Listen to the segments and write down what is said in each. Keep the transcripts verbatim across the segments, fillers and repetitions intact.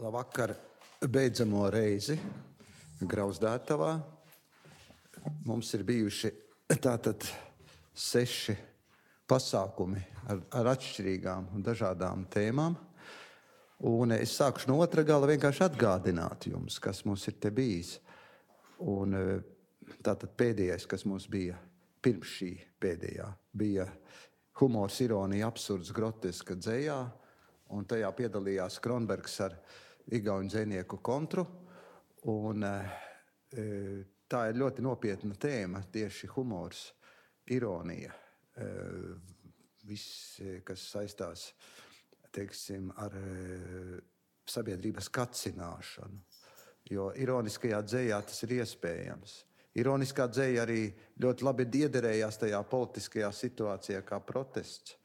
Labvakar, beidzamo reizi Grauzdētavā. Mums ir bijuši tātad seši pasākumi ar, ar atšķirīgām un dažādām tēmām. Un es sākušu no otra gala vienkārši atgādināt jums, kas mums ir te bijis. Un tātad pēdējais, kas mums bija pirms šī pēdējā, bija humors, ironija, absurds, groteska dzejā. Un tajā piedalījās Kronbergs ar igauņu dzejnieku Kontru. Un e, tā ir ļoti nopietna tēma, tieši humors, ironija. E, viss, kas saistās, teiksim, ar e, sabiedrības kacināšanu. Jo ironiskajā dzejā tas ir iespējams. Ironiskā dzeja arī ļoti labi iederējās tajā politiskajā situācijā kā protests,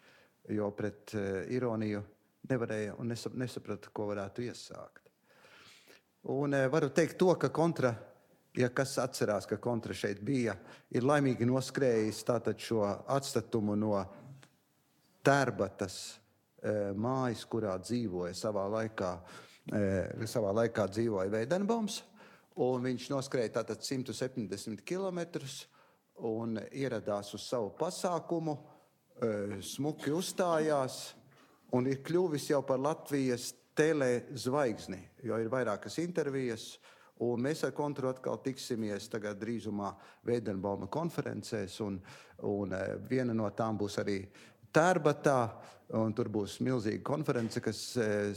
jo pret e, ironiju nevarēja un nesaprata, ko varētu iesākt. Un e, varu teikt to, ka Kontra, ja kas atcerās, ka Kontra šeit bija, ir laimīgi noskrējis tātad šo atstatumu no Tērbatas e, mājas, kurā dzīvoja savā laikā, e, savā laikā dzīvoja Veidenbaums, un viņš noskrēja tātad simt septiņdesmit kilometrus un ieradās uz savu pasākumu, e, smuki uzstājās, un ir kļuvis jau par Latvijas telezvaigzni, jo ir vairākas intervijas, un mēs ar Kontru atkal tiksimies tagad drīzumā Veidenbauma konferencēs, un, un viena no tām būs arī Tērbatā, un tur būs milzīga konference, kas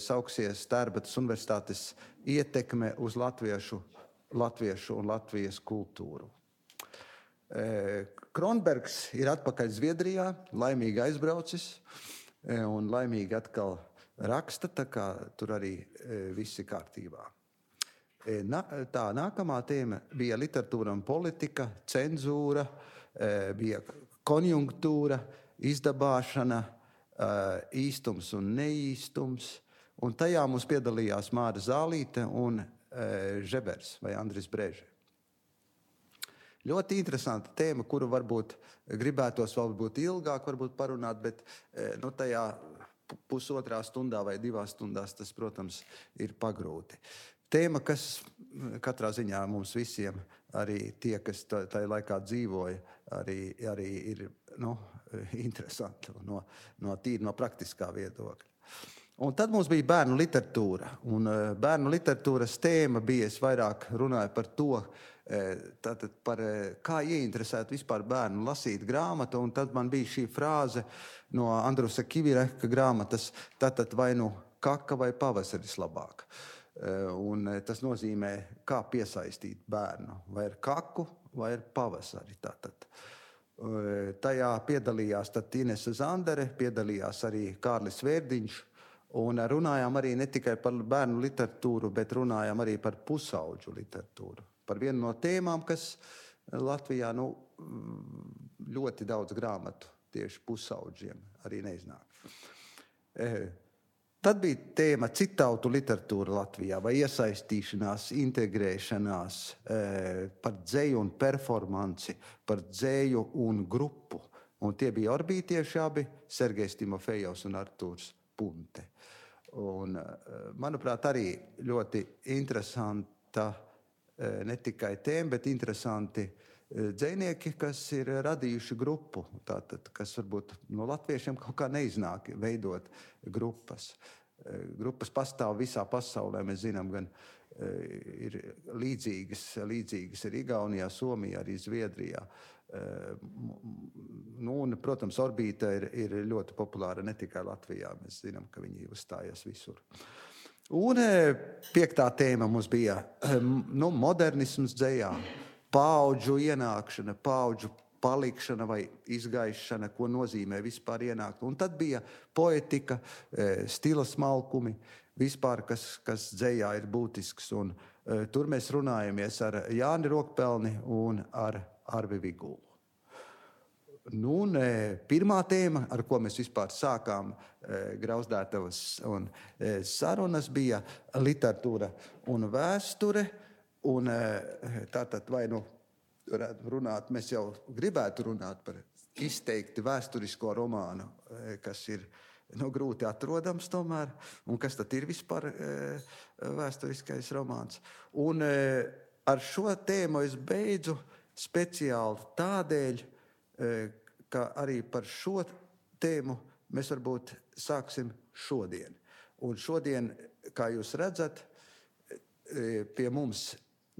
sauksies Tērbatas universitātes ietekme uz latviešu, latviešu un Latvijas kultūru. Kronbergs ir atpakaļ Zviedrijā, laimīgi aizbraucis, un laimīgi atkal raksta, tā kā tur arī viss ir kārtībā. Na, tā nākamā tēma bija literatūra un politika, cenzūra, bija konjunktūra, izdabāšana, īstums un neīstums, un tajā mums piedalījās Māra Zālīte un Žebers vai Andris Breže. Ļoti interesanta tēma, kuru varbūt gribētos varbūt ilgāk varbūt parunāt, bet nu, tajā pusotrā stundā vai divās stundās tas, protams, ir pagrūti. Tēma, kas katrā ziņā mums visiem, arī tie, kas tajā laikā dzīvoja, arī, arī ir nu, interesanti no, no tīri no praktiskā viedokļa. Un tad mums bija bērnu literatūra, un bērnu literatūras tēma bija, es vairāk runāju par to, tātad par kā ieinteresēt vispār bērnu lasīt grāmatu, un tad man bija šī frāze no Andrusa Kivireka grāmatas, tātad vai nu kaka vai pavasaris labāk. Un tas nozīmē, kā piesaistīt bērnu, vai ar kaku, vai ar pavasari. Tātad. Tajā piedalījās tad Inese Zandere, piedalījās arī Kārlis Vērdiņš, un runājām arī ne tikai par bērnu literatūru, bet runājām arī par pusauģu literatūru. Par vienu no tēmām, kas Latvijā nu, ļoti daudz grāmatu tieši pusauģiem arī neiznāk. Tad bija tēma citautu literatūra Latvijā, vai iesaistīšanās, integrēšanās, par dzeju un performanci, par dzeju un grupu. Un tie bija orbītieši abi, Sergejs Timofejovs un Artūrs Punte. Un, manuprāt, arī ļoti interesanta ne tikai tēma, bet interesanti dzejnieki, kas ir radījuši grupu, tātad, kas varbūt no latviešiem kaut kā neiznāk veidot grupas. Grupas pastāv visā pasaulē, mēs zinām, gan ir līdzīgas, līdzīgas ir Igaunijā, Somijā, arī Zviedrijā. Nu, un, protams, Orbīta ir, ir ļoti populāra ne tikai Latvijā, mēs zinām, ka viņi uzstājas visur. Un piektā tēma mums bija nu, modernisms dzejā, paudžu ienākšana, paudžu palikšana vai izgaišana, ko nozīmē vispār ienākt. Un tad bija poetika, stila smalkumi, vispār, kas, kas dzejā ir būtisks. Un tur mēs runājamies ar Jāni Rokpelni un ar Arvi Vigulu. Nu, un, pirmā tēma, ar ko mēs vispār sākām Grauzdētavas un sarunas, bija literatūra un vēsture. Un tātad vai nu runāt, mēs jau gribētu runāt par izteikti vēsturisko romānu, kas ir nu, grūti atrodams tomēr, un kas tad ir vispār e, vēsturiskais romāns. Un e, ar šo tēmu es beidzu speciāli tādēļ, e, ka arī par šo tēmu mēs varbūt sāksim šodien. Un šodien, kā jūs redzat, e, pie mums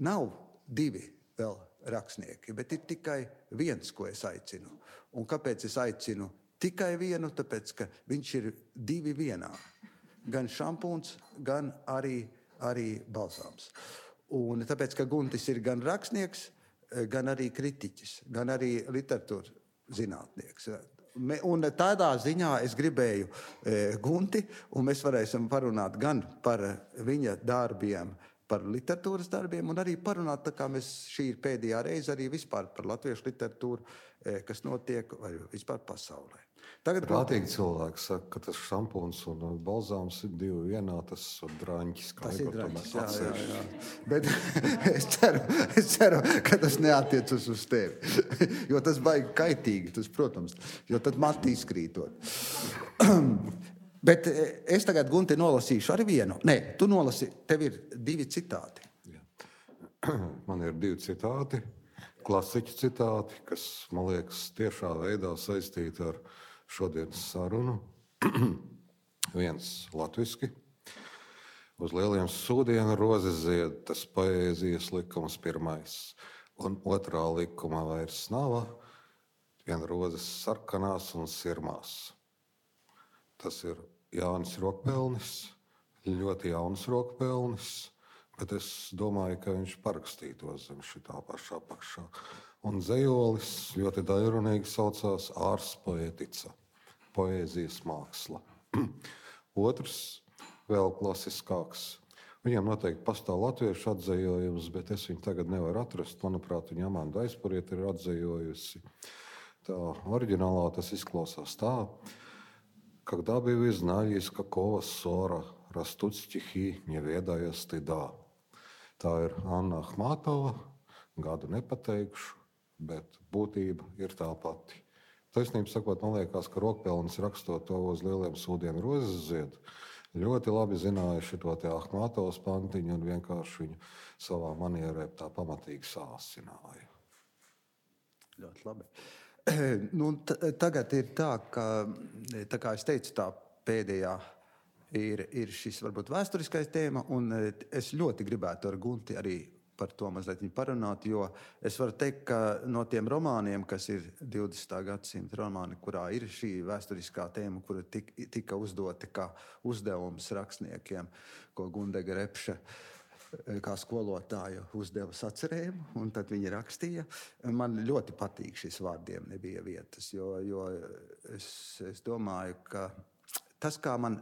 nav divi vēl rakstnieki, bet ir tikai viens, ko es aicinu. Un kāpēc es aicinu tikai vienu? Tāpēc, ka viņš ir divi vienā. Gan šampūns, gan arī, arī balzāms. Un tāpēc, ka Guntis ir gan rakstnieks, gan arī kritiķis, gan arī literatūras zinātnieks. Un tādā ziņā es gribēju e, Gunti, un mēs varēsim parunāt gan par viņa darbiem, par literatūras darbiem, un arī parunāt, tā kā mēs šī ir pēdējā reize arī vispār par latviešu literatūru, kas notiek vai vispār pasaulē. Tagad prātīgi cilvēki saka, ka tas šampūns un balzāms ir divi vienā, tas ir draņķis. Tas ir draņķis, jā, jā, jā. Bet es ceru, es ceru, ka tas neatiecas uz tevi, jo tas baigi kaitīgi, tas, protams, jo tad mati izkrītot. Bet es tagad, Gunti, nolasīšu arī vienu. Nē, tu nolasi, tev ir divi citāti. Jā. Man ir divi citāti, klasiķu citāti, kas, man liekas, tiešā veidā saistīti ar šodienas sarunu. Viens latviski. Uz lieliem sūdienu rozes zied, tas poēzijas likums pirmais. Un otrā likuma vairs nav, vien rozes sarkanās un sirmās. Tas ir Jānis Rokpelnis, ļoti jauns Rokpelnis, bet es domāju, ka viņš parakstītos zem šitā pašā apakšā. Un zejolis ļoti daļrunīgi saucās Ārs poetica, poēzijas māksla. Otrs, vēl klasiskāks. Viņam noteikti pastāv latviešu atzejojums, bet es viņu tagad nevaru atrast. Manuprāt, viņa Amanda Aizpurieta ir atzejojusi. Tā oriģinālā tas izklausās tā. Когда бы вы знали, из какого ссора растут стихи, не ведая стыда. Tā ir Anna Ahmatova, gadu nepateikšu, bet būtība ir tā pati. Taisnība sakot, man liekas, ka Rokpelnis rakstot to uz lieliem sūdienu rozes zied, ļoti labi zināja šito te Ahmatovas pantiņu un vienkārši viņu savā manierē tā pamatīgi sāsināja. Ļoti labi. Nu, t- tagad ir tā, ka, tā kā es teicu, tā pēdējā ir, ir šis varbūt vēsturiskais tēma, un es ļoti gribētu ar Gunti arī par to mazliet parunāt, jo es varu teikt, ka no tiem romāniem, kas ir divdesmitā gadsimta romāni, kurā ir šī vēsturiskā tēma, kura tik, tika uzdota kā uzdevums rakstniekiem, ko Gundega Repše kā skolotāju uzdeva sacerējumu, un tad viņi rakstīja. Man ļoti patīk šis vārdiem nebija vietas, jo, jo es, es domāju, ka tas, kā man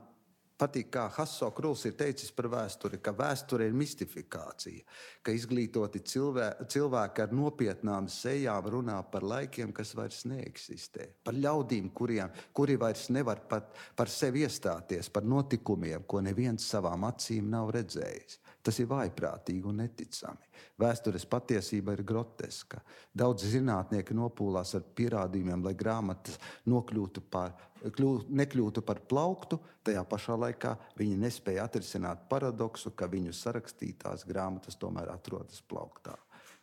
patīk, kā Hasso Kruls ir teicis par vēsturi, ka vēsture ir mistifikācija, ka izglītoti cilvēki, cilvēki ar nopietnām sejām runā par laikiem, kas vairs neeksistē, par ļaudīm, kuriem, kuri vairs nevar pat par sevi iestāties, par notikumiem, ko neviens savām acīm nav redzējis. Tas ir vājprātīgi un neticami. Vēstures patiesība ir groteska. Daudz zinātnieki nopūlās ar pierādījumiem, lai grāmatas nokļūtu par, kļū, nekļūtu par plauktu, tajā pašā laikā viņi nespēja atrisināt paradoksu, ka viņu sarakstītās grāmatas tomēr atrodas plauktā.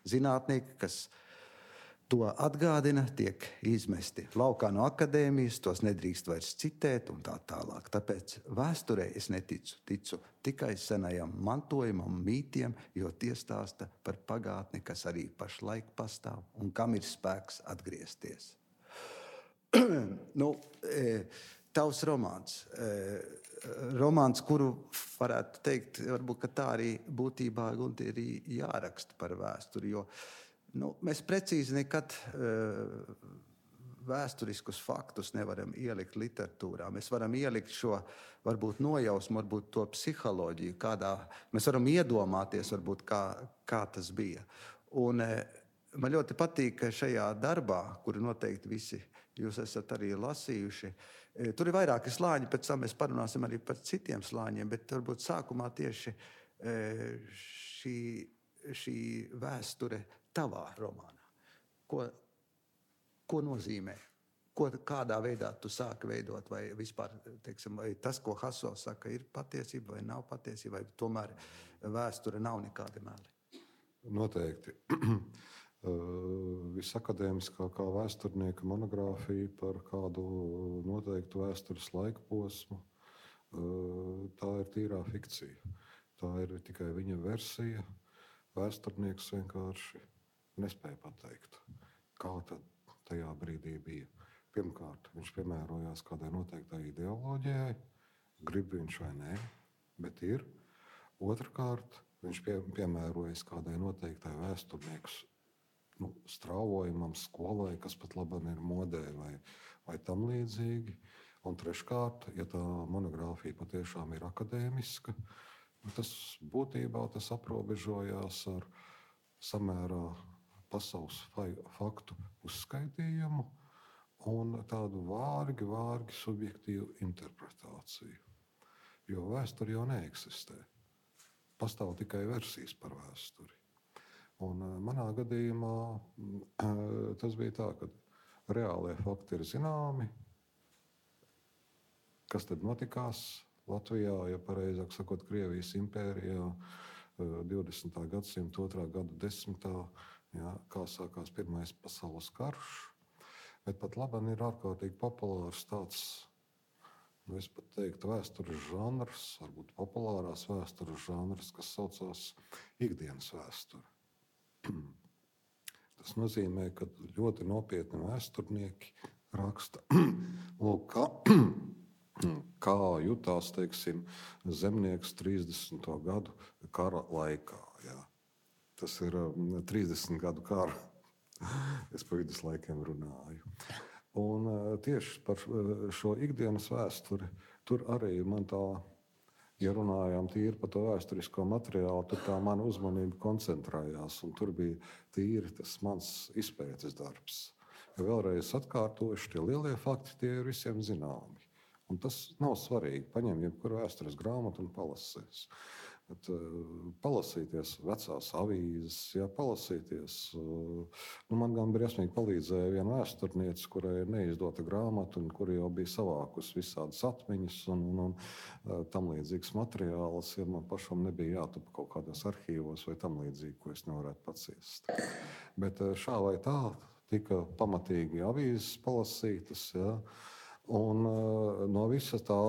Zinātnieki, kas to atgādina, tiek izmesti laukā no akadēmijas, tos nedrīkst vairs citēt un tā tālāk. Tāpēc vēsturē es neticu, ticu tikai senajam mantojumam, mītiem, jo tie stāsta par pagātni, kas arī pašlaik pastāv un kam ir spēks atgriezties. nu, tavs romāns. Romāns, kuru varētu teikt, varbūt, ka tā arī būtībā Gunti ir jāraksta par vēsturi, jo Nu, mēs precīzi nekad uh, vēsturiskus faktus nevaram ielikt literatūrā. Mēs varam ielikt šo, varbūt nojausmu, varbūt to psiholoģiju, kādā mēs varam iedomāties, varbūt, kā, kā tas bija. Un uh, man ļoti patīk, ka šajā darbā, kuru noteikti visi jūs esat arī lasījuši, uh, tur ir vairāki slāņi, pēc tam mēs parunāsim arī par citiem slāņiem, bet varbūt sākumā tieši uh, šī, šī vēsture tavā romānā. Ko, ko nozīmē ko, kādā veidā tu sāki veidot, vai vispār, teiksim, vai tas, ko Haso saka, ir patiesība vai nav patiesība, vai tomēr vēsture nav nekādi meli? Noteikti. Visakadēmiskākā vēsturnieka monogrāfija par kādu noteiktu vēstures laika posmu, tā ir tīrā fikcija. Tā ir tikai viņa versija. Vēsturnieks vienkārši nespēja pateikt, kā tad tajā brīdī bija. Pirmkārt, viņš piemērojās kādai noteiktai ideoloģijai, grib viņš vai nē, bet ir. Otrkārt, viņš pie, piemērojas kādai noteiktai vēsturnieku nu, strāvojumam, skolai, kas pat labam ir modē vai, vai tam līdzīgi. Un treškārt, ja tā monogrāfija patiešām ir akadēmiska, tas būtībā tas aprobežojās ar samērā pasaules faktu uzskaitījumu un tādu vārgi, vārgi subjektīvu interpretāciju. Jo vēsture jau neeksistē. Pastāv tikai versijas par vēsturi. Un manā gadījumā tas bija tā, ka reālie fakti ir zināmi. Kas tad notikās Latvijā, ja pareizāk sakot, Krievijas impērijā divdesmitā gadsimta otrā gada desmitā, jā, kā sākās Pirmais pasaules karš. Bet pat labam ir ārkārtīgi populārs tāds, nu es pat teiktu, vēstures žanrs, varbūt populārās vēstures žanrs, kas saucās ikdienas vēsture. Tas nozīmē, ka ļoti nopietni vēsturnieki raksta, lūk, kā, kā jutās, teiksim, zemnieks trīsdesmito gadu kara laikā. Jā. Tas ir trīsdesmit gadu kara. Es pa viduslaikiem runāju. Un tieši par šo ikdienas vēsturi, tur arī man tā, ja runājām tīri par to vēsturisko materiālu, tur tā mana uzmanība koncentrējās, un tur bija tīri tas mans izpētes darbs. Ja vēlreiz atkārtojuši, tie lielie fakti, tie ir visiem zināmi. Un tas nav svarīgi. Paņem jebkuru vēstures grāmatu un palasīs. Bet, uh, palasīties vecās avīzes, jā, palasīties. Uh, nu, man gan briesmīgi palīdzēja viena vēsturniece, kurai ir neizdota grāmata, un kura jau bija savākusi visādas atmiņas un, un, un uh, tam līdzīgas materiālus, ja man pašam nebija jātupa kaut kādos arhīvos vai tam līdzīgi, ko es nevarētu paciest. Bet uh, šā vai tā tika pamatīgi avīzes palasītas, jā, un uh, no visa tā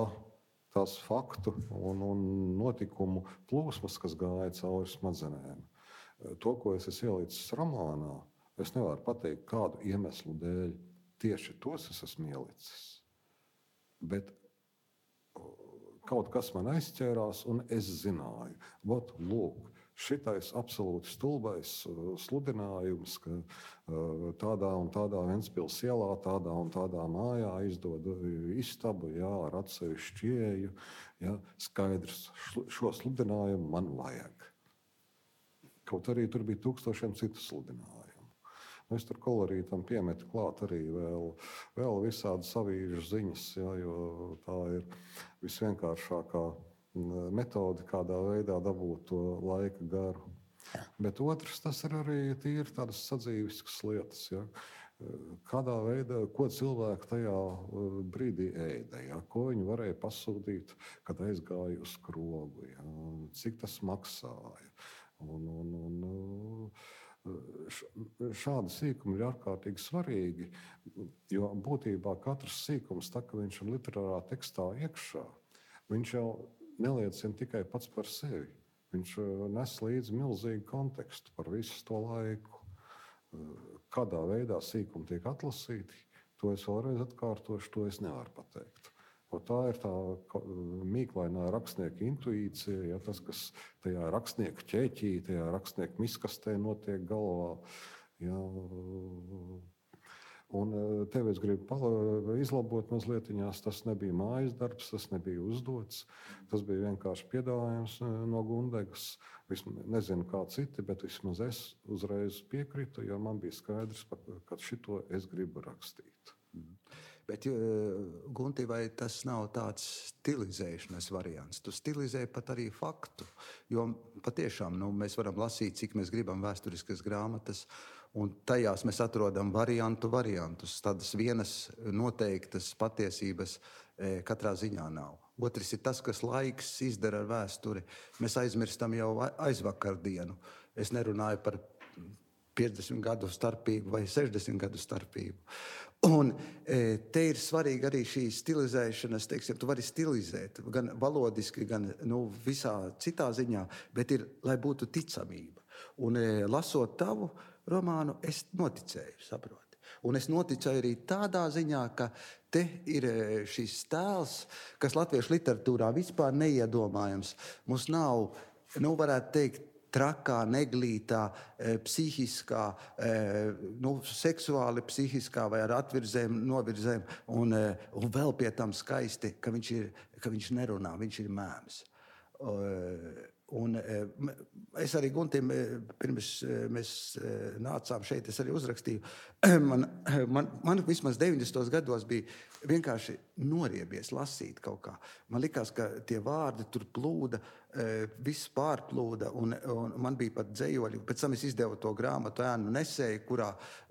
tās faktu un, un notikumu plūsmas, kas gāja cauri smadzenēm. To, ko es esmu ielicis romānā, es nevaru pateikt, kādu iemeslu dēļ tieši tos es esmu ielicis. Bet kaut kas man aizķērās, un es zināju, ot, lūk, šitais absolūti stulbais sludinājums, ka tādā un tādā Ventspils ielā, tādā un tādā mājā izdod istabu, jā, ar atsevišķu ieeju, jā, skaidrs, šo sludinājumu man vajag. Kaut arī tur bija tūkstošiem citu sludinājumu. Es tur kolorītam piemetu klāt arī vēl, vēl visādas avīžu ziņas, jā, jo tā ir visvienkāršākā metodi, kādā veidā dabūt to laika garu. Bet otrs, tas ir arī tīri tādas sadzīviskas lietas. Ja? Kādā veidā, ko cilvēki tajā brīdī ēda, ja? Ko viņi varēja pasūtīt, kad aizgāja uz krogu, ja? Cik tas maksāja. Un, un, un, šādi sīkumi ir ārkārtīgi svarīgi, jo būtībā katrs sīkums, tā kā viņš ir literārā tekstā iekšā, viņš jau neliecina tikai pats par sevi. Viņš nes līdzi milzīgu kontekstu par visu to laiku. Kādā veidā sīkumi tiek atlasīti, to es vēlreiz atkārtošu, to es nevaru pateikt. O tā ir tā mīklainā rakstnieka intuīcija, ja, tas, kas tajā rakstnieka ķēķī, tajā rakstnieka miskastē notiek galvā. Ja, un tev es gribu izlabot mazliet, tas nebija mājas darbs, tas nebija uzdots, tas bija vienkārši piedāvājums no Gundegas. Vismaz, nezinu kā citi, bet vismaz es uzreiz piekritu, jo man bija skaidrs, ka šito es gribu rakstīt. Bet, Gunti, vai tas nav tāds stilizēšanas variants? Tu stilizē pat arī faktu, jo patiešām nu, mēs varam lasīt, cik mēs gribam vēsturiskas grāmatas, un tajās mēs atrodam variantu variantus. Tādas vienas noteiktas patiesības katrā ziņā nav. Otrs ir tas, kas laiks izdara ar vēsturi. Mēs aizmirstam jau aizvakardienu. Es nerunāju par piecdesmit gadu starpību vai sešdesmit gadu starpību. Un te ir svarīgi arī šī stilizēšanas, teiksim, tu vari stilizēt gan valodiski, gan nu, visā citā ziņā, bet ir, lai būtu ticamība. Un lasot tavu romānu, es noticēju, saproti. Un es noticēju arī tādā ziņā, ka te ir šis tēls, kas latviešu literatūrā vispār neiedomājams. Mums nav, nu varētu teikt, trakā, neglītā, psihiskā, nu, seksuāli psihiskā vai ar atvirzēm, novirzēm, un, un vēl pie tam skaisti, ka viņš, ir, ka viņš nerunā, viņš ir mēms. Un es arī Guntim, pirms mēs nācām šeit, es arī uzrakstīju, man, man, man vismaz deviņdesmitos gados bija vienkārši noriebies lasīt kaut kā. Man likās, ka tie vārdi tur plūda, viss pārplūda, un, un man bija pat dzējoļi. Pēc tam es izdevu to grāmatu Ēnu nesēju, kurā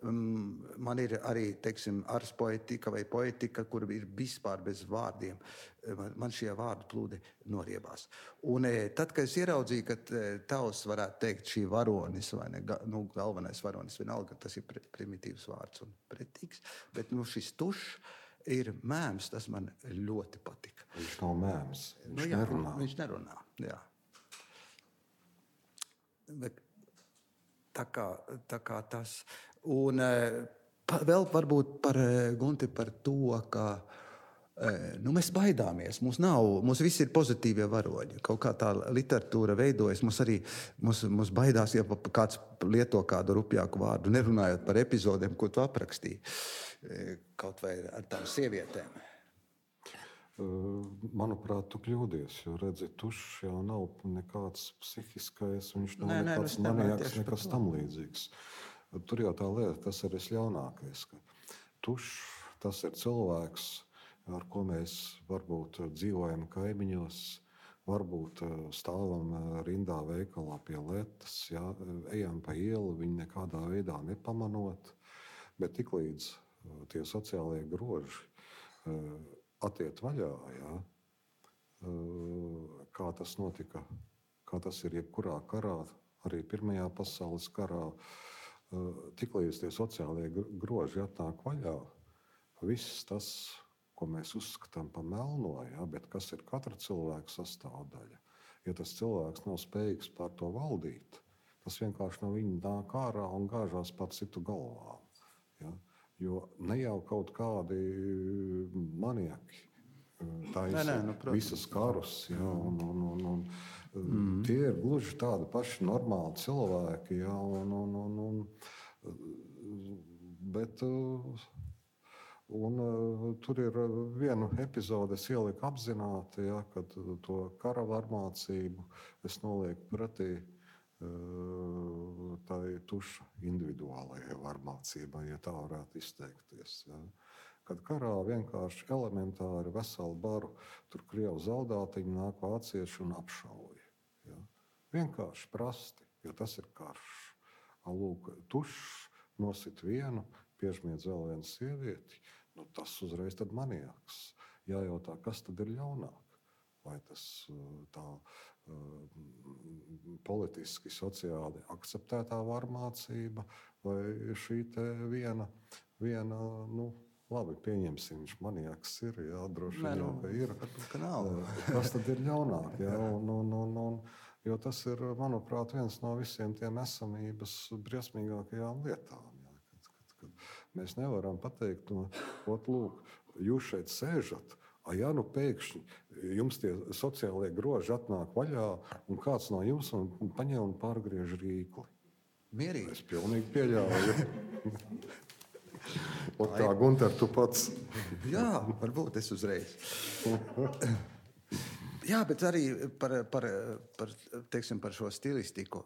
um, man ir arī, teiksim, ars poetika vai poetika, kur ir vispār bez vārdiem. Man, man šie vārdi plūdi noriebās. Un tad, kad es ieraudzīju, ka tavs varētu teikt šī varonis, vai ne, nu, galvenais varonis, vienalga, tas ir primitīvs vārds un pretīgs, bet nu, šis tušs ir mēms, tas man ļoti patika. Viņš nav mēms, viņš nu, jā, nerunā. Viņš nerunā, jā. Bet tā kā, tā kā tas. Un pa, vēl varbūt par Gunti par to, ka nu, mēs baidāmies. Mums nav, mums visi ir pozitīvie varoņi. Kaut kā tā literatūra veidojas. Mums arī mums, mums baidās, ja kāds lieto kādu rupjāku vārdu, nerunājot par epizodēm, ko tu aprakstīji. Kaut vai ar tām sievietēm. Manuprāt, tu kļūdies, jo redzi, tušs jau nav nekāds psihiskais, viņš nav nē, nekāds nē, maniaks, nekas tam līdzīgs. Tur jau tā lieta, tas ir visļaunākais, ka tušs, tas ir cilvēks, ar ko mēs varbūt dzīvojam kaimiņos, varbūt stāvam rindā veikalā pie letas, jā, ejam pa ielu, viņu nekādā veidā nepamanot, bet tiklīdz tie sociālie groži attiet vaļā, jā, kā tas notika, kā tas ir jebkurā karā, arī Pirmajā pasaules karā, tiklīdz tie sociālie groži atnāk vaļā, viss tas, ko mēs uzskatām par melno, jā, bet kas ir katra cilvēka sastāvdaļa. Ja tas cilvēks nav spējīgs pār to valdīt, tas vienkārši no viņa nāk ārā un gāžās par citu galvām. Jā. Jo ne jau kaut kādi maniaki taisa nu, visas karus, jā, un, un, un, un mm. tie ir gluži tādi paši normāli cilvēki, jā, un, un, un, un, bet un, tur ir vienu epizodi, es ieliku apzināti, jā, kad to kara varmācību es nolieku pretī tā ir tuša individuālajai varmācībai, ja tā varētu izteikties. Ja. Kad karā vienkārši elementāri veselu baru, tur krievu zaldātiņi nāk vācieši un apšauja. Ja. Vienkārši prasti, jo tas ir karš. Lūk, tušs nosit vienu, piežmiedz vēl vienu sievieti, nu tas uzreiz tad maniaks. Jājautā, kas tad ir ļaunāk? Vai tas tā politiski, sociāli akceptētā varmācība, vai šī te viena, viena nu, labi, pieņemsim, viņš maniaks ir, jā, droši vien jau, ka ir. Ka nav. Kas tad ir ļaunāk, jā, un, un, un, un, jo tas ir, manuprāt, viens no visiem tiem esamības briesmīgākajām lietām, jā, kad, kad, kad mēs nevaram pateikt, no, ot, lūk, jūs šeit sēžat, a, ja nu pēkšņi jums tie sociālie groži atnāk vaļā, un kāds no jums un, un paņem un pārgriež rīkli. Mierīgi. Es pilnīgi pieļauju. Un kā, Gunter, tu pats? Jā, varbūt es uzreiz. Jā, bet arī par, par, par, teiksim, par šo stilistiku,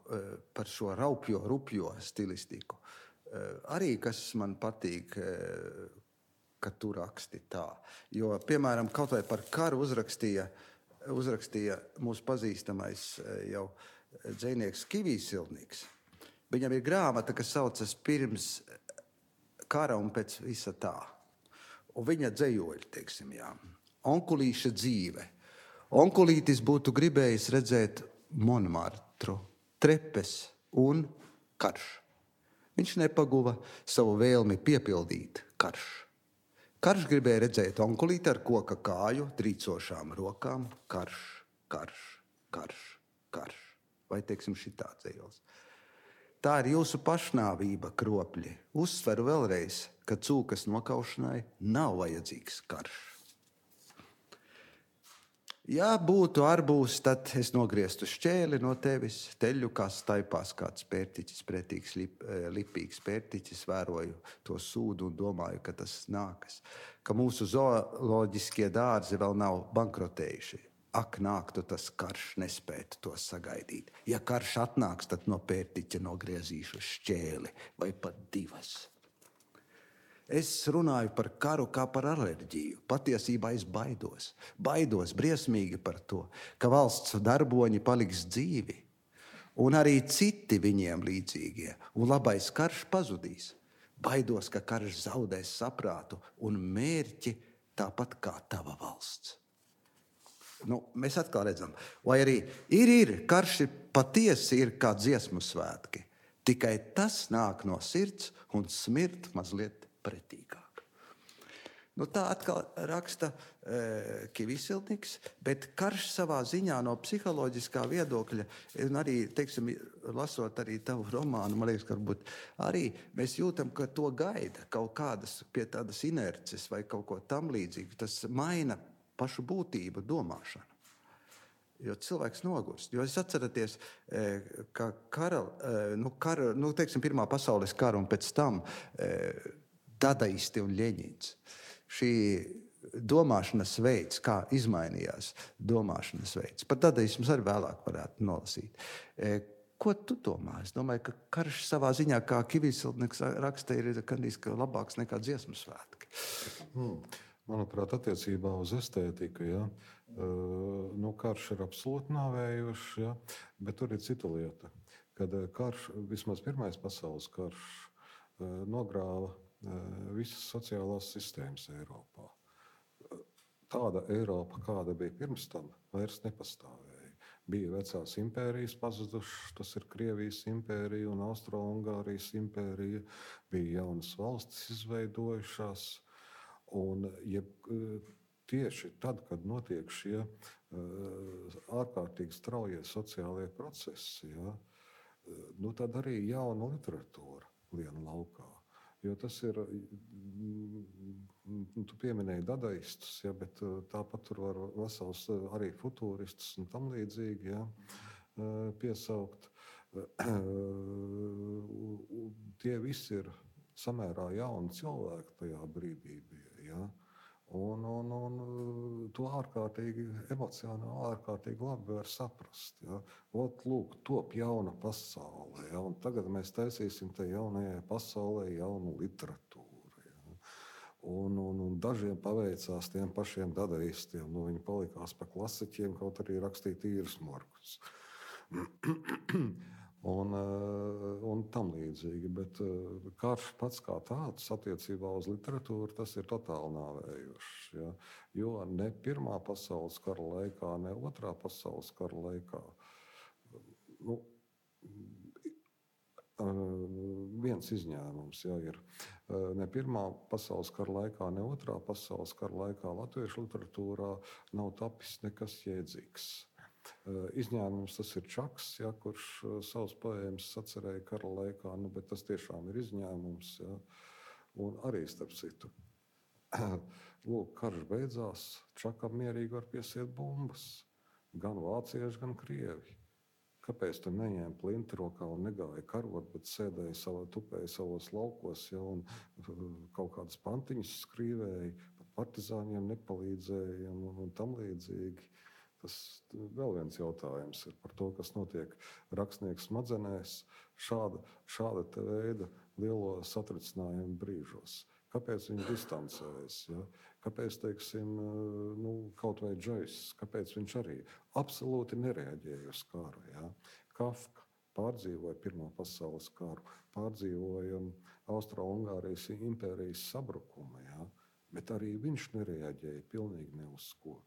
par šo raupjo, rupjo stilistiku. Arī, kas man patīk, ka tu raksti tā. Jo, piemēram, kaut vai par karu uzrakstīja, uzrakstīja mūsu pazīstamais jau dzejnieks Kivīsilnieks. Viņam ir grāmata, kas saucas Pirms kara un pēc visa tā. Un viņa dzejoļi, teiksim, jā. Onkulīša dzīve. Onkulītis būtu gribējis redzēt Monmartru, trepes un karš. Viņš nepaguva savu vēlmi piepildīt karš. Karš gribēja redzēt onkulīti ar koka kāju, trīcošām rokām. Karš, karš, karš, karš. Vai, teiksim, šitā dzejols. Tā ir jūsu pašnāvība, kropļi. Uzsveru vēlreiz, ka cūkas nokaušanai nav vajadzīgs karš. Ja būtu arbūs, tad es nogrieztu šķēli no tevis, teļu kā staipās kāds pērtiķis, pretīgs, lip, lipīgs pērtiķis, vēroju to sūdu un domāju, ka tas nākas, ka mūsu zooloģiskie dārzi vēl nav bankrotējuši. Ak, nāktu tas karš, nespētu to sagaidīt. Ja karš atnāks, tad no pērtiķa nogriezīšu šķēli vai pat divas. Es runāju par karu kā par alerģiju. Patiesībā es baidos. Baidos briesmīgi par to, ka valsts darboņi paliks dzīvi. Un arī citi viņiem līdzīgie. Un labais karš pazudīs. Baidos, ka karš zaudēs saprātu un mērķi tāpat kā tava valsts. Nu, mēs atkal redzam, vai arī ir, ir, karš ir patiesi ir kā dziesmu svētki. Tikai tas nāk no sirds un smirt mazliet pretīgāk. Nu, tā atkal raksta e, Kivīsilnieks, bet karš savā ziņā no psiholoģiskā viedokļa, un arī, teiksim, lasot arī tavu romānu, man liekas, ka varbūt arī mēs jūtam, ka to gaida kaut kādas pie tādas inerces vai kaut ko tam līdzīgu. Tas maina pašu būtību, domāšanu. Jo cilvēks nogurst. Jo es atceraties, ka kara, nu, kara, nu, teiksim, Pirmā pasaules kara un pēc tam dadaisti un Ļeņins. Šī domāšanas veids, kā izmainījās domāšanas veids. Par dadaismus arī vēlāk varētu nolasīt. Ko tu domā? Es domāju, ka karš savā ziņā, kā Kivīsilnieks raksta, ir kandīs, ka labāks nekā dziesmu svētki. Hmm. Manuprāt, attiecībā uz estētiku, ja, nu, karš ir absolūti nāvējošs, ja, bet tur ir cita lieta, kad karš, vismaz Pirmais pasaules karš, nogrāva visas sociālās sistēmas Eiropā. Tāda Eiropa, kāda bija pirms tam, vairs nepastāvēja. Bija vecās impērijas pazudušas, tas ir Krievijas impērija un Austro-Ungārijas impērija, bija jaunas valstis izveidojušās. Un ja, tieši tad, kad notiek šie ārkārtīgi straujie sociālie procesi, ja, nu, tad arī jauna literatūra lien laukā. Jo tas ir, tu pieminēji dadaistus, ja, bet tāpat tur var vesels arī futūristus un tam līdzīgi, ja, piesaukt. Tie visi ir samērā jauni cilvēki tajā brīdī bija. Ja? Un, un, un to ārkārtīgi emocionāli, ārkārtīgi labi var saprast. Ja? Ot, lūk, top jauna pasaule. Ja? Un tagad mēs taisīsim te jaunajai pasaulē jaunu literatūru. Ja? Un, un, un dažiem paveicās tiem pašiem dadaistiem. Nu, viņi palikās pa klasiķiem, kaut arī rakstīja tīrus morkus. Un, un tam līdzīgi, bet karš pats kā tāds attiecībā uz literatūru, tas ir totāli nāvējošs. Ja? Jo ne Pirmā pasaules kara laikā, ne Otrā pasaules kara laikā, nu, viens izņēmums, ja, ir ne Pirmā pasaules kara laikā, ne Otrā pasaules kara laikā latviešu literatūrā nav tapis nekas jēdzīgs. Izņēmums tas ir Čaks, ja, kurš savus poēmas sacerēja kara laikā, nu, bet tas tiešām ir izņēmums. Ja. Un arī starp citu. Lūk, karš beidzās, Čakam mierīgi var piesiet bumbas. Gan vācieši, gan krievi. Kāpēc tu neņēmi plinti rokā un negāja karot, bet sēdēja savā, tupēja savos laukos, ja, un kaut kādas pantiņas skrīvēja, pat partizāņiem nepalīdzēja un, un tam līdzīgi. Tas vēl viens jautājums ir par to, kas notiek rakstnieku smadzenēs šāda, šāda te veida lielo satricinājumu brīžos. Kāpēc viņi distancējas? Ja? Kāpēc, teiksim, nu, kaut vai Džojs, kāpēc viņš arī absolūti nereaģēja uz karu? Ja? Kafka pārdzīvoja Pirmā pasaules karu, pārdzīvoja Austro-Ungārijas impērijas sabrukumu, ja? Bet arī viņš nereaģēja pilnīgi ne uz ko.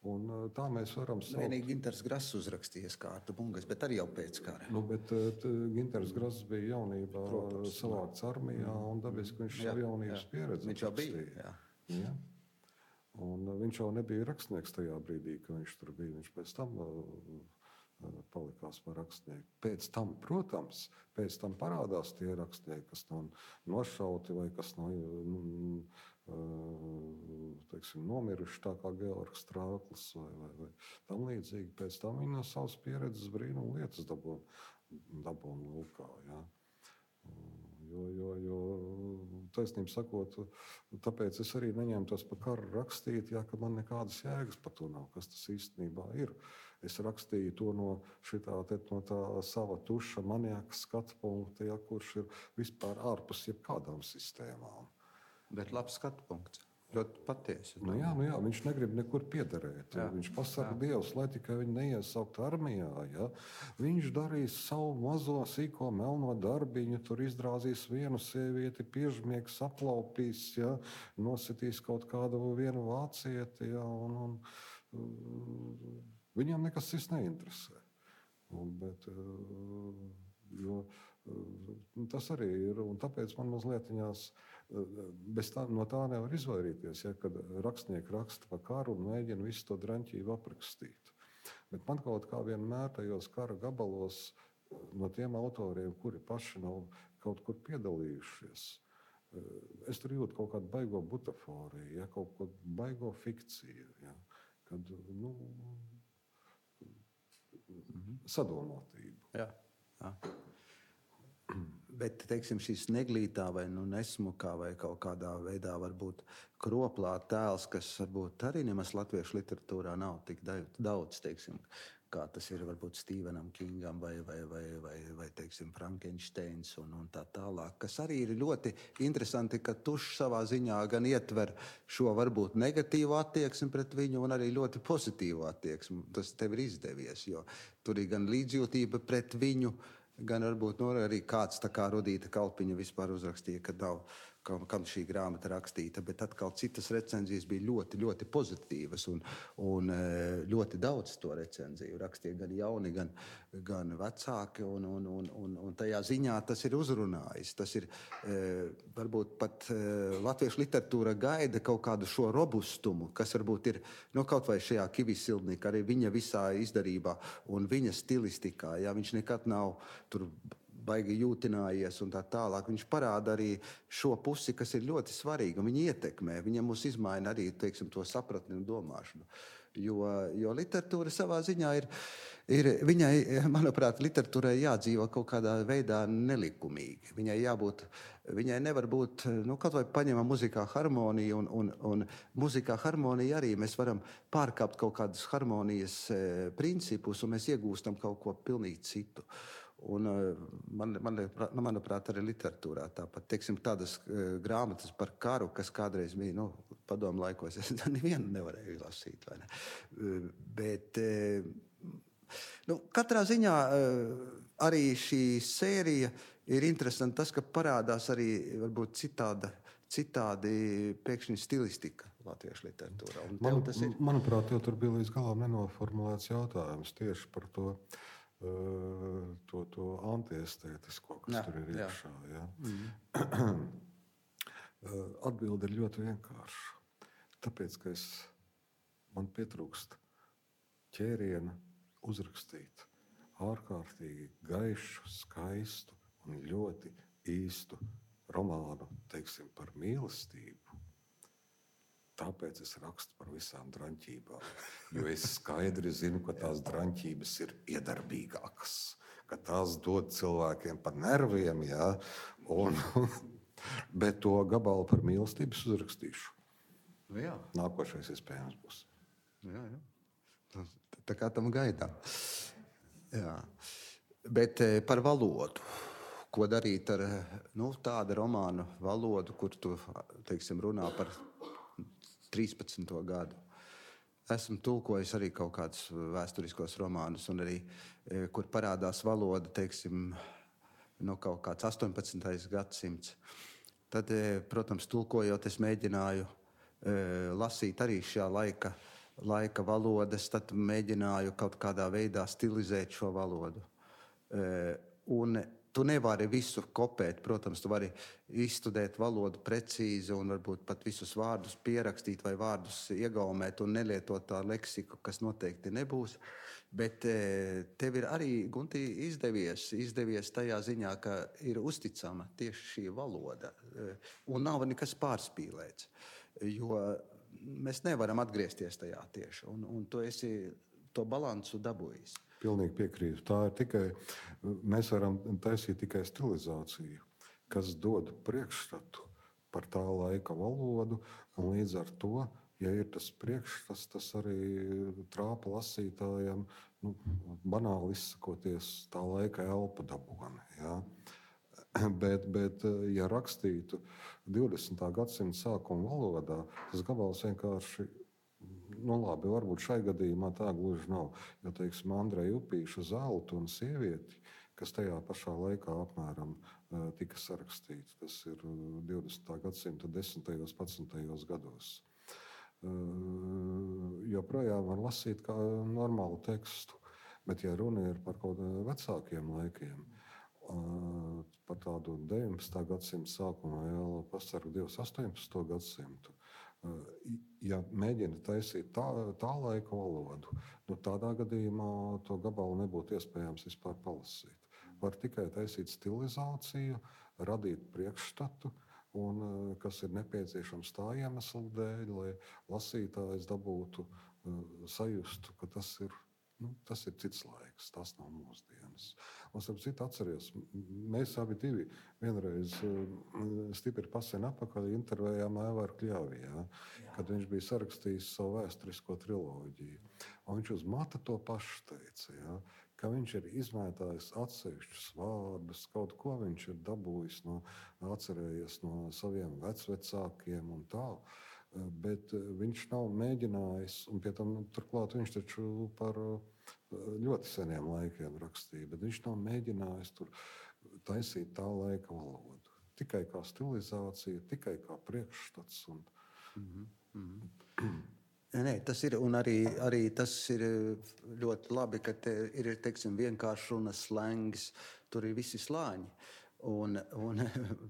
Un tā mēs varam saukt. Vienīgi Ginters Grass uzrakstījies kārtu bungas, bet arī jau pēc kara. Nu, bet Ginters Grass bija jaunībā Protams, savākts armijā, un dabiski viņš jā, savu jaunības jā. pieredzi viņš jau bija. Jā. Jā. Un viņš jau nebija rakstnieks tajā brīdī, kad viņš tur bija. Viņš pēc tam palikās par rakstnieku. Pēc tam, protams, pēc tam parādās tie rakstnieki, kas nav nošauti vai kas nav nu, teiksim, nomiruši, tā kā Georgs Strāklis vai, vai, vai tam līdzīgi. Pēc tam viņi no savas pieredzes brīnumu lietas dabūna lūkā. Ja? Jo, jo, jo taisnība sakot, tāpēc es arī neņemtos par karu rakstīt, ja, ka man nekādas jēgas par to nav, kas tas īstenībā ir. Es rakstīju to no, šitā, te, no tā sava tuša maniaka skatu punkta, ja, kurš ir vispār ārpus jebkādām sistēmām. Bet labs skatu punkts. Ļoti patiesi. Nu jā, nu jā, viņš negrib nekur piederēt. Jā, viņš pasaka jā. Dievs, lai tikai viņi neiesaukt armijā. Ja? Viņš darīs savu mazo sīko melno darbiņu, tur izdrāzīs vienu sievieti, piežmiegs aplaupīs, ja? Nositīs kaut kādu vienu vācieti. Ja? Un, un, viņam nekas cits neinteresē. Un, bet, jo, tas arī ir, un tāpēc man mazliet viņās bez tā, no tā nevar izvairīties, ja, kad rakstnieki raksta par karu un mēģina visu to draņķību aprakstīt. Bet man kaut kā vienmēr tajos kara gabalos no tiem autoriem, kuri paši nav kaut kur piedalījušies, es tur jūtu kaut kādu baigo butaforiju, ja, kaut kādu baigo fikciju, ja, kad, nu, mm-hmm. sadomātību. Jā, jā. Bet, teiksim, šīs neglītā vai nu, nesmukā vai kaut kādā veidā varbūt kroplā tēls, kas varbūt arī nemaz latviešu literatūrā nav tik daudz, teiksim, kā tas ir varbūt Stephenam Kingam vai, vai, vai, vai, vai teiksim, Frankensteins un, un tā tālāk, kas arī ir ļoti interesanti, ka Tušs savā ziņā gan ietver šo varbūt negatīvu attieksmi pret viņu un arī ļoti pozitīvu attieksmi. Tas tev ir izdevies, jo tur ir gan līdzjūtība pret viņu, gan varbūt no, arī kāds tā kā Rudīta Kalpiņa vispār uzrakstīja, ka nav, kam, kam šī grāmata rakstīta, bet atkal citas recenzijas bija ļoti, ļoti pozitīvas un, un ļoti daudz to recenziju rakstīja gan jauni, gan, gan vecāki un, un, un, un, un tajā ziņā tas ir uzrunājis. Tas ir varbūt pat latviešu literatūra gaida kaut kādu šo robustumu, kas varbūt ir nu, kaut vai šajā Kivis Sildnika, arī viņa visā izdarībā un viņa stilistikā. Jā, viņš nekad nav tur baigi jūtinājies un tā tālāk. Viņš parāda arī šo pusi, kas ir ļoti svarīga. Viņa ietekmē, viņa mūs izmaina arī, teiksim, to sapratni un domāšanu. Jo, jo literatūra savā ziņā ir, ir, viņai, manuprāt, literatūrai jādzīvo kaut kādā veidā nelikumīgi. Viņai jābūt, viņai nevar būt, nu, kaut vai paņemam muzikā harmoniju un, un, un muzikā harmonija arī mēs varam pārkāpt kaut kādus harmonijas e, principus un mēs iegūstam kaut ko pilnīgi citu. Un man, man, manuprāt, arī literatūrā tāpat, teiksim, tādas uh, grāmatas par karu, kas kādreiz bija, nu, padomu laikos, es nevienu nevarēju lasīt, vai ne? Uh, bet, uh, nu, katrā ziņā uh, arī šī sērija ir interesanta tas, ka parādās arī, varbūt, citāda, citādi pēkšņi stilistika latviešu literatūrā. Un Man, tas ir... Manuprāt, jau tur bija līdz galam nenoformulēts jautājums tieši par to, to, to antiestētisko, kas jā, tur ir iekšā. Ja? Mm. Atbilde ir ļoti vienkārša. Tāpēc, ka es, man pietrūkst ķēriena uzrakstīt ārkārtīgi gaišu, skaistu un ļoti īstu romānu, teiksim, par mīlestību. Tāpēc es rakstu par visām draņķībām, jo es skaidri zinu, ka tās draņķības ir iedarbīgākas, ka tās dod cilvēkiem pa nerviem, jā, un, bet to gabalu par mīlestības uzrakstīšu. Nu jā. Nākošais iespējams būs. Jā, jā. Tā kā tam gaidām. Jā. Bet par valodu. ko darīt ar nu, tādu romānu valodu, kur tu teiksim, runā par trīspadsmito gadu. Esmu tulkojis arī kaut kādus vēsturiskos romānus, un arī, kur parādās valoda, teiksim, no kaut kāds astoņpadsmitais gadsimts. Tad, protams, tulkojot, es mēģināju lasīt arī šajā laika, laika valodas, tad mēģināju kaut kādā veidā stilizēt šo valodu. Un tu nevari visu kopēt, protams, tu vari izstudēt valodu precīzi un varbūt pat visus vārdus pierakstīt vai vārdus iegaumēt un nelietot tā leksiku, kas noteikti nebūs. Bet tev ir arī, Gunti, izdevies, izdevies tajā ziņā, ka ir uzticama tieši šī valoda un nav nekas pārspīlēts, jo mēs nevaram atgriezties tajā tieši, un, un tu esi to balansu dabūjis. Pilnīgi piekrītu. Tā ir tikai, mēs varam taisīt tikai stilizāciju, kas dod priekšstatu par tā laika valodu, un līdz ar to, ja ir tas priekšstats, tas arī trāpa lasītājiem, nu, banāli izsakoties, tā laika elpa dabūna. Ja? Bet, bet, ja rakstītu divdesmitā gadsimta sākuma valodā, tas gabals vienkārši, nu labi, varbūt šai gadījumā tā gluži nav. Jo, teiksim, Andreja Upīša Zeltu un sievieti, kas tajā pašā laikā apmēram tika sarakstīts, tas ir divdesmitā gadsimta desmitajos, padsmitajos gados. Joprojām var lasīt kā normālu tekstu, bet ja runa ir par kaut vecākiem laikiem, par tādu deviņpadsmitā gadsimta sākumu vēl pasargu divus astoņpadsmito gadsimtu, ja mēģina taisīt tā, tā laika valodu, nu tādā gadījumā to gabalu nebūtu iespējams vispār palasīt. Var tikai taisīt stilizāciju, radīt priekšstatu, un kas ir nepieciešams tā iemesla dēļ, lai lasītājs dabūtu, sajustu, ka tas ir, nu, tas ir cits laiks, tas nav mūsdienas. Un, starp citu, atceries, mēs abi divi vienreiz stipri pasen apakaļ intervējām Aivaru Kļavi, ja, kad viņš bija sarakstījis savu vēsturisko triloģiju. Un viņš uz mata to pašu teica, ja, ka viņš ir izmētājis atsevišķus vārdus, kaut ko viņš ir dabūjis, no, atcerējies no saviem vecvecākiem un tā. Bet viņš nav mēģinājis, un pie tam turklāt viņš taču par ļoti seniem laikiem rakstīja, bet viņš nav mēģinājis tur taisīt tā laika valodu. Tikai kā stilizācija, tikai kā priekšstats. Un... Mm-hmm. Mm-hmm. Nē, tas ir, un arī, arī tas ir ļoti labi, ka te ir, teiksim, vienkārši runas slengs, tur ir visi slāņi. Un, un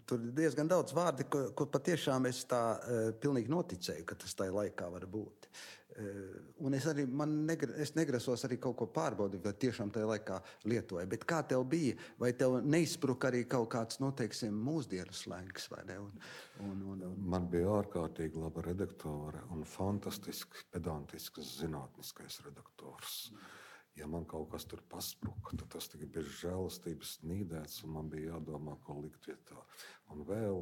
tur ir diezgan daudz vārdi, ko, ko patiešām es tā uh, pilnīgi noticēju, ka tas tajā laikā var būt. Uh, un es arī man negra, es negrasos arī kaut ko pārbaudīt, vai tiešām tajā laikā lietoju. Bet kā tev bija? Vai tev neizspruka arī kaut kāds, nu, teiksim, mūsdienu slengs, vai ne? Un, un, un, un... Man bija ārkārtīgi laba redaktore un fantastisks, pedantisks, zinātniskais redaktors. Mm. Ja man kaut kas tur paspruka, tad tas tikai bez žēlastības nīdēts, un man bija jādomā, ko likt vietā. Un vēl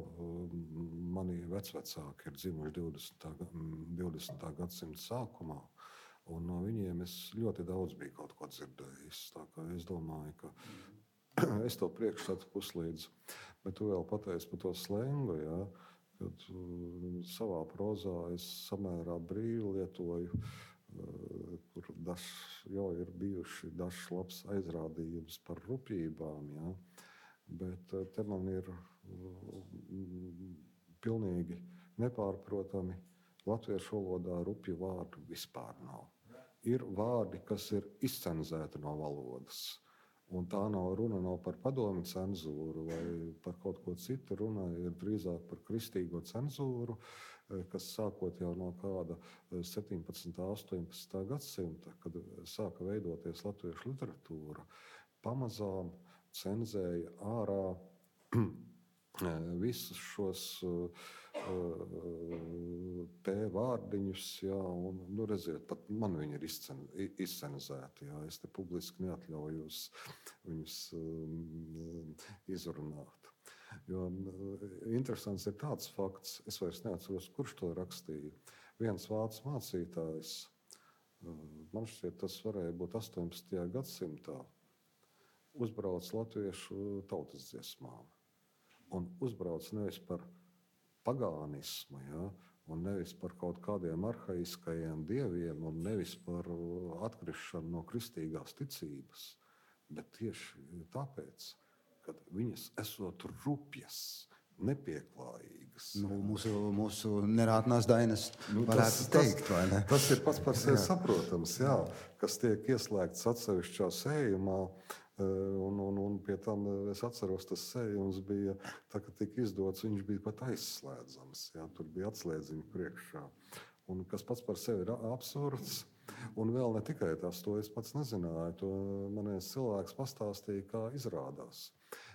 mani vecvecāki ir dzimuši divdesmitā gadsimta sākumā, un no viņiem es ļoti daudz biju kaut ko dzirdējis. Tā kā es domāju, ka es to priekšstatu puslīdz, bet tu vēl pateici par to slengu, ja, kad savā prozā es samērā brīvi lietoju, kur daž, jau ir bijuši dažs labs aizrādījums par rupjībām, ja? Bet te man ir pilnīgi nepārprotami latviešu valodā rupju vārdu vispār nav. Ir vārdi, kas ir izcenzēti no valodas, un tā nav runa nav par padomi cenzūru vai par kaut ko citu, runa ir drīzāk par kristīgo cenzūru, kas sākot jau no kāda septiņpadsmitā, astoņpadsmitā gadsimta, kad sāka veidoties latviešu literatūra, pamazām cenzēja ārā visus šos P vārdiņus, jā, un, nu, redziet, pat man viņi ir izcen, izcenzēti, jā, es te publiski neatļaujos viņus um, izrunāt. Jo interesants ir tāds fakts, es vairs neatceros, kurš to rakstīja. Viens vācu mācītājs, man šķiet, tas varēja būt astoņpadsmitajā gadsimtā, uzbrauc latviešu tautas dziesmām. Un uzbrauc nevis par pagānismu, ja, un nevis par kaut kādiem arhaiskajiem dieviem, un nevis par atkrišanu no kristīgās ticības, bet tieši tāpēc, ka viņas esot rupjas, nepieklājīgas. Nu, mūsu, mūsu nerātnās dainas nu, varētu tas, teikt, tas, vai ne? Tas ir pats par sevi saprotams, jā, kas tiek ieslēgts atsevišķā sējumā, un, un, un pie tam es atceros, tas sējums bija, tā, kad tika izdots, viņš bija pat aizslēdzams, jā, tur bija atslēdziņi priekšā. Un kas pats par sevi ir absurds, un vēl ne tikai tas, to es pats nezināju, to man viens cilvēks pastāstīja, kā izrādās.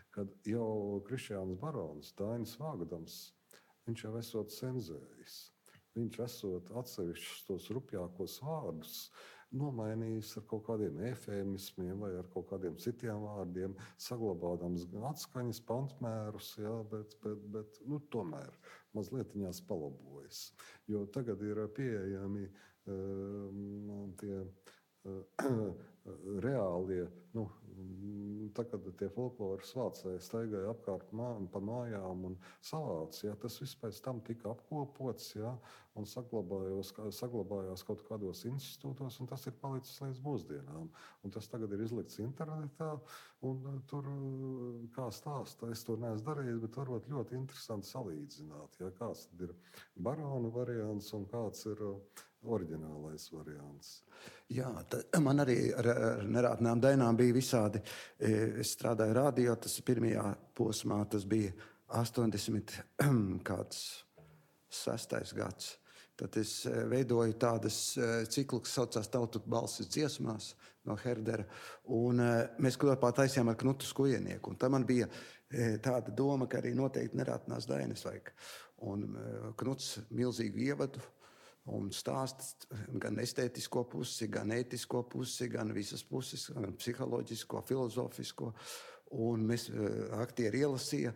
Kad jau Krišjāns Barons, Dainis Vāgdams, viņš jau esot cenzējis. Viņš esot atsevišķus tos rupjākos vārdus nomainījis ar kaut kādiem efēmismiem vai ar kaut kādiem citiem vārdiem, saglabādams gan atskaņas pantmērus, jā, bet, bet, bet nu, tomēr mazlietiņās palabojas. Jo tagad ir pieejami um, tie uh, reālie, nu, tā, kad tie folkloras vācēji staigāja apkārt mā, pa mājām un savāc, ja, tas viss pēc tam tika apkopots, ja, un saglabājās, saglabājās kaut kādos institūtos, un tas ir palicis līdz mūsdienām. Un tas tagad ir izlikts internetā, un tur, kā stāsta, es to neesmu darījis, bet varbūt ļoti interesanti salīdzināt, ja, kāds tad ir barona variants un kāds ir oriģinālais variants. Jā, man arī ar, ar nerātnām dainām bija visādi. Es strādāju radio, tas pirmajā posmā, tas bija astoņdesmit kāds sastais gads. Tad es veidoju tādas ciklu, kas saucās Tautu balsis dziesmās no Herdera, un mēs kopā taisījām ar Knutu Skujenieku. Un tā man bija tāda doma, ka arī noteikti nerātnās dainas vajag. Un Knuts milzīgu ievadu un stāsts gan estētisko pusi, gan ētisko pusi, gan visas puses, gan psiholoģisko, filozofisko. Un mēs aktieri ielasīja,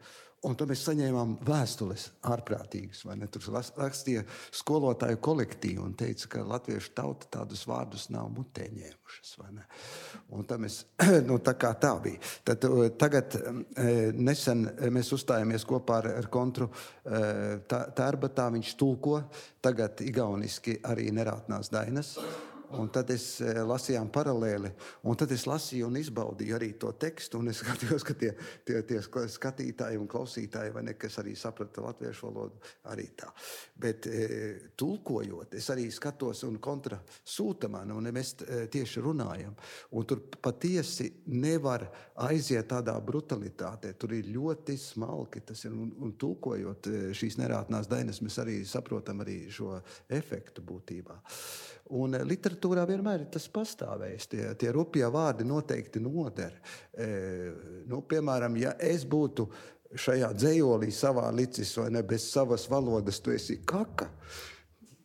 un tad mēs saņēmām vēstules ārprātīgas, vai ne? Tur rakstīja skolotāju kolektīvu un teica, ka latviešu tauta tādus vārdus nav mutē ņēmušas, vai ne? Un tad mēs, nu tā kā tā bija. Tad tagad nesen mēs uzstājāmies kopā ar, ar Kontru Tērbatā, viņš tulko tagad igauniski arī nerātnās dainas. Un tad es lasījām paralēli, un tad es lasīju un izbaudīju arī to tekstu, un es skatījos, ka tie, tie, tie skatītāji un klausītāji, vai ne, kas arī saprata latviešu valodu, arī tā. Bet e, tulkojot, es arī skatos un kontra sūta man, un mēs tieši runājam. Un tur patiesi nevar aiziet tādā brutalitātē, tur ir ļoti smalki, tas ir, un, un tulkojot šīs nerātnās dainas, mēs arī saprotam arī šo efektu būtībā. Un literatūrā vienmēr ir tas pastāvējis. Tie, tie rupjie vārdi noteikti noder. E, nu, piemēram, ja es būtu šajā dzējolī savā licis vai ne bez savas valodas, tu esi kaka,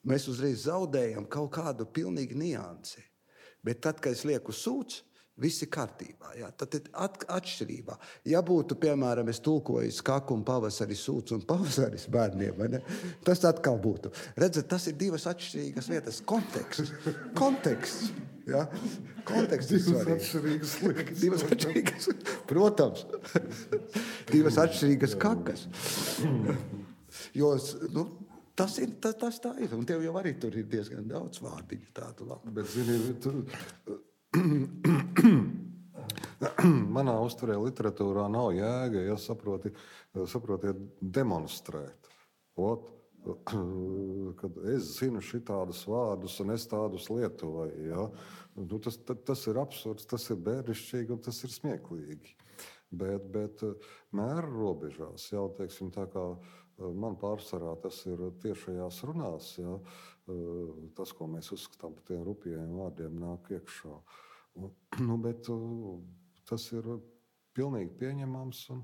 mēs uzreiz zaudējam kaut kādu pilnīgi niansi. Bet tad, kad es lieku sūds, viss ir kārtībā. Jā. Tad ir at, atšķirībā. Ja būtu, piemēram, es tulkoju skaku un pavasari sūds un pavasaris bērniem, vai ne? Tas atkal būtu. Redzat, tas ir divas atšķirīgas vietas. Konteksts. Konteksts. Jā. Konteksts ir svarīgs. Divas atšķirīgas lietas. Divas atšķirīgas. Protams. Divas atšķirīgas kakas. Jo, nu, tas ir, tas, tas tā ir. Un tev jau arī tur ir diezgan daudz vārdiņu tādu labu. Bet, zini, tur... Manā uzturē literatūrā nav jēga, ja saproti, saprotiet demonstrēt. Ot, kad es zinu šitādus vārdus un es tādus lietoju, ja? Nu, tas, tas ir absurds, tas ir bērnišķīgi un tas ir smieklīgi. Bet, bet mēra robežās, jau teiksim tā kā man pārsvarā tas ir tiešajās runās, ja, tas, ko mēs uzskatām par tiem rupjiem vārdiem, nāk iekšā. Un, nu, bet tas ir pilnīgi pieņemams. Un,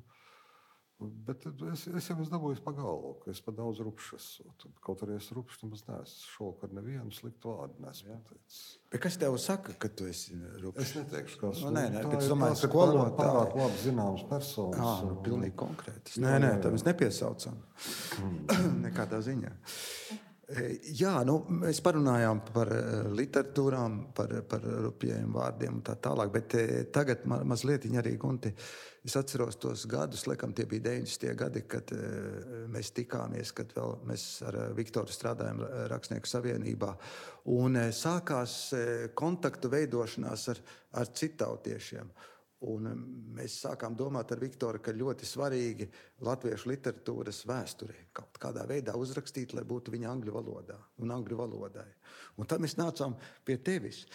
bet es, es jau esmu dabūjis pa galvu, ka es pa daudz rupšs esmu. Kaut arī es rupšs, nemaz neesmu šovakar nevienu sliktu vārdu nesmu pateicis. Bet kas tev saka, ka tu esi rupšs? Es neteikšu, kas nu, nē, nē, tā bet ir. Domāju, Tās ir pārāk, pārāk labi zināmas personas. Jā, nu, pilnīgi konkrētas. Nē, nē, tā mēs nepiesaucam. Mm. Nekādā ziņā. Jā, nu, mēs parunājām par literatūrām, par, par rupjiem vārdiem un tā tālāk, bet tagad ma, mazliet arī, Gunti, es atceros tos gadus, laikam tie bija deviņdesmitie gadi, kad mēs tikāmies, kad vēl mēs ar Viktoru strādājām Rakstnieku savienībā, un sākās kontaktu veidošanās ar, ar citautiešiem. Un mēs sākām domāt ar Viktoru, ka ļoti svarīgi latviešu literatūras vēsturē kaut kādā veidā uzrakstīt, lai būtu viņa angļu valodā un angļu valodai. Un tad mēs nācām pie tevis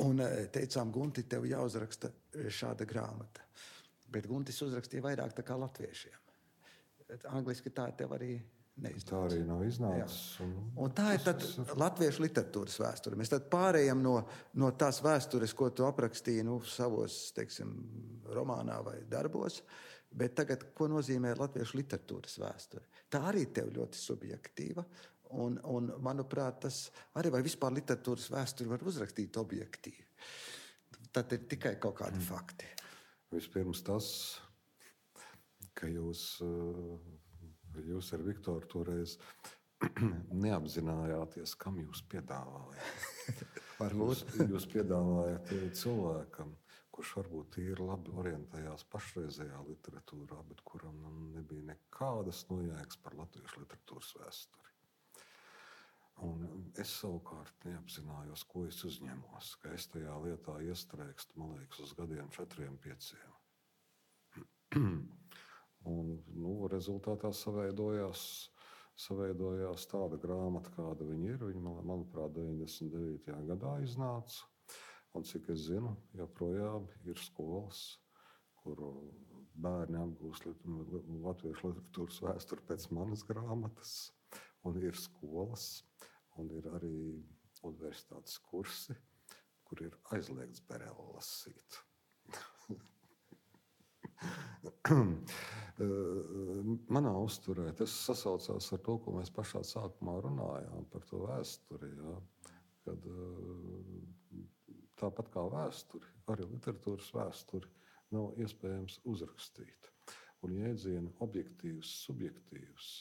un teicām, Gunti, tev jāuzraksta šāda grāmata. Bet Guntis uzrakstīja vairāk tā kā latviešiem. Angliski tā tev arī neiznāca. Tā arī nav iznācis. Un, un tā ir tad latviešu literatūras vēsture. Mēs tad pārējām no, no tās vēstures, ko tu aprakstīji nu, savos, teiksim, romānā vai darbos, bet tagad, ko nozīmē latviešu literatūras vēsture? Tā arī tev ļoti subjektīva, un, un manuprāt, tas arī vai vispār literatūras vēsturi var uzrakstīt objektīvi. Tad ir tikai kaut kādi mm. fakti. Vispirms tas, ka jūs... Uh... Jūs ar Viktoru toreiz neapzinājāties, kam jūs piedāvājat. jūs, jūs piedāvājat cilvēkam, kurš varbūt ir labi orientējās pašreizējā literatūrā, bet kuram nebija nekādas nojēgas par latviešu literatūras vēsturi. Un es savukārt neapzinājos, ko es uzņemos, ka es tajā lietā iestrēgstu, man liekas, uz gadiem četriem, pieciem. Un, nu, rezultātā saveidojās, saveidojās tāda grāmata, kāda viņa ir. Viņa, manuprāt, deviņdesmit devītajā gadā iznāca. Un, cik es zinu, joprojām ir skolas, kur bērni apgūst latviešu literatūras vēsturi pēc manas grāmatas. Un ir skolas, un ir arī universitātes kursi, kur ir aizliegts Bereli lasīt. Manā uzturē tas sasaucās ar to, ko mēs pašā sākumā runājām par to vēsturi. Ja? Kad, tāpat kā vēsturi, arī literatūras vēsturi nav iespējams uzrakstīt. Un jēdzieni objektīvs, subjektīvs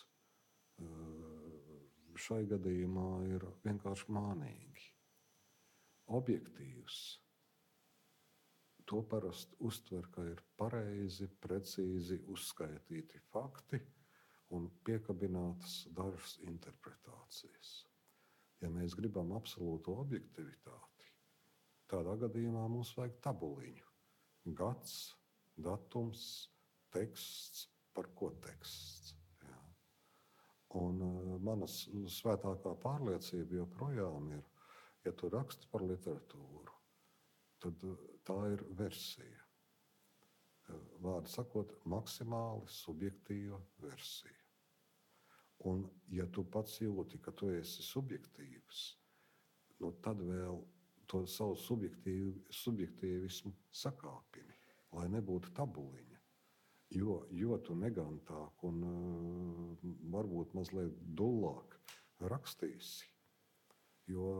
šai gadījumā ir vienkārši mānīgi. Objektīvs. To parasti uztver, ka ir pareizi, precīzi uzskaitīti fakti un piekabinātas dažas interpretācijas. Ja mēs gribam absolūto objektivitāti, tādā gadījumā mums vajag tabuliņu. Gads, datums, teksts, par ko teksts. Jā. Un uh, manas svētākā pārliecība joprojām ir, ja tu raksti par literatūru, tad tā ir versija. Vārdu sakot, maksimāli subjektīva versija. Un, ja tu pats jūti, ka tu esi subjektīvs, nu tad vēl to savu subjektīv, subjektīvismu sakāpini, lai nebūtu tabuliņa. Jo, jo tu negantāk un uh, varbūt mazliet dullāk rakstīsi, jo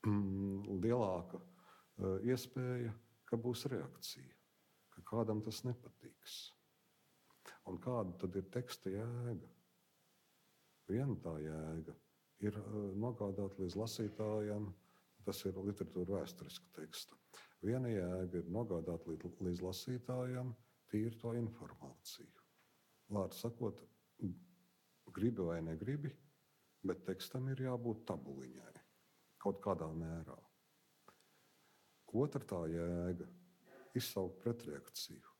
mm, lielāka iespēja, ka būs reakcija, ka kādam tas nepatiks. Un kāda tad ir teksta jēga? Viena tā jēga ir nogādāt līdz lasītājiem, tas ir literatūra vēsturiska teksta. Viena jēga ir nogādāt līdz, līdz lasītājiem tīri to informāciju. Vārdu sakot, gribi vai negribi, bet tekstam ir jābūt tabuliņai kaut kādā mērā. Otra tā jēga - izsaukt pretreakciju,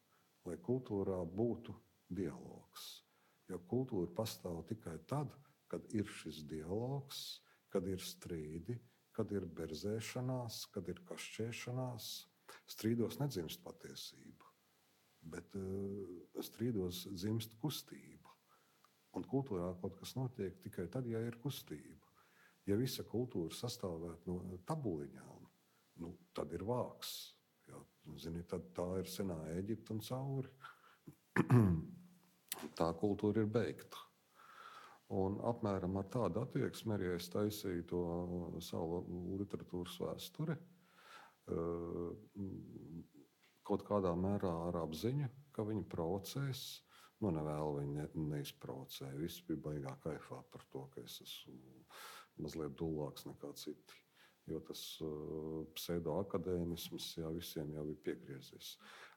lai kultūrā būtu dialogs. Jo kultūra pastāv tikai tad, kad ir šis dialogs, kad ir strīdi, kad ir berzēšanās, kad ir kašķēšanās. Strīdos nedzimst patiesība, bet uh, strīdos dzimst kustība. Un kultūrā kaut kas notiek tikai tad, ja ir kustība. Ja visa kultūra sastāvētu no tabuliņām, nu, tad ir vāks. Jā, zini, tad tā ir senā Ēģipta un cauri. Tā kultūra ir beigta. Un apmēram ar tādu attieksmi arī es taisīju to savu literatūras vēsturi. Kaut kādā mērā ar apziņu, ka viņi provocēs, nu, nevēlu viņi ne, neizprovocēju. Visi bija baigā kaifā par to, ka es esmu mazliet dullāks nekā citi. Jo tas uh, pseidoakadēmisms jā, visiem jau ir piegriezies.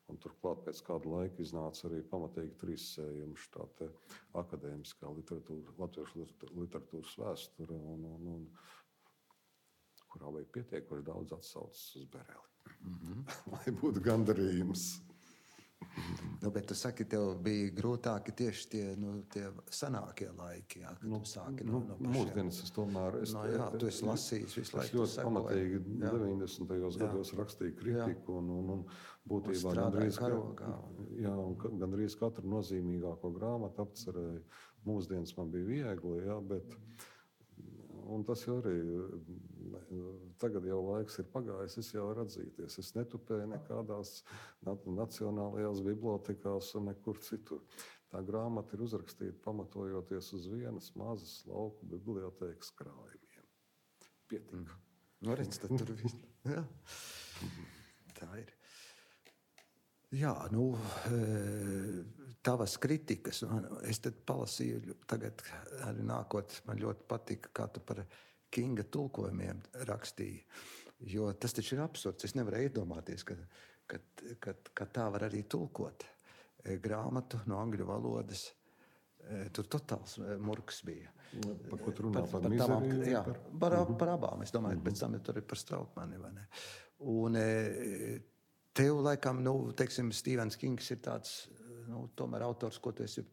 Un turklāt pēc kāda laika iznāca arī pamatīgi trīssējumi šī tā akadēmiskā literatūra, latviešu literatūras vēsture, un, un, un, kurā bija pietiekoši daudz atsauces uz Bereli. Mm-hmm. Lai būtu gandarījums. Nu, bet tu saki, tev bija grūtāki tieši tie, nu, tie senākie laiki, jā, kad nu, tu sāki no, nu, no pašiem. Mūsdienas es tomēr... Es, no, jā, tu esi lasījis visu laiku. Es ļoti pamatīgi deviņdesmitajos gados rakstīju kritiku un, un, un būtībā gandrīz, karogā, jā, un gandrīz katru nozīmīgāko grāmatu apcerēju. Mūsdienas man bija viegli, jā, bet... Un tas jau arī, tagad jau laiks ir pagājis, es jau varu atzīties. Es netupēju nekādās nacionālajās bibliotekās un nekur citur. Tā grāmata ir uzrakstīta pamatojoties uz vienas mazas lauku bibliotēkas krājumiem. Pietika. Nu, redz, tad tur viss. Jā. Tā ir. Jā, nu, tavas kritikas, es tad palasīju, tagad arī nākot, man ļoti patika, kā tu par Kinga tulkojumiem rakstīji, jo tas taču ir absurds, es nevaru iedomāties, ka, ka, ka, ka tā var arī tulkot grāmatu no angļu valodas, tur totāls murks bija. Par ko tu runā, par, par mizeriju? Jā, par, par, par abām, es domāju, uh-huh. Pēc tam tur ir par Strautmani, vai ne? Un tev, laikam, nu, teiksim, Stevens Kings ir tāds, nu, tomēr autors, ko tu esi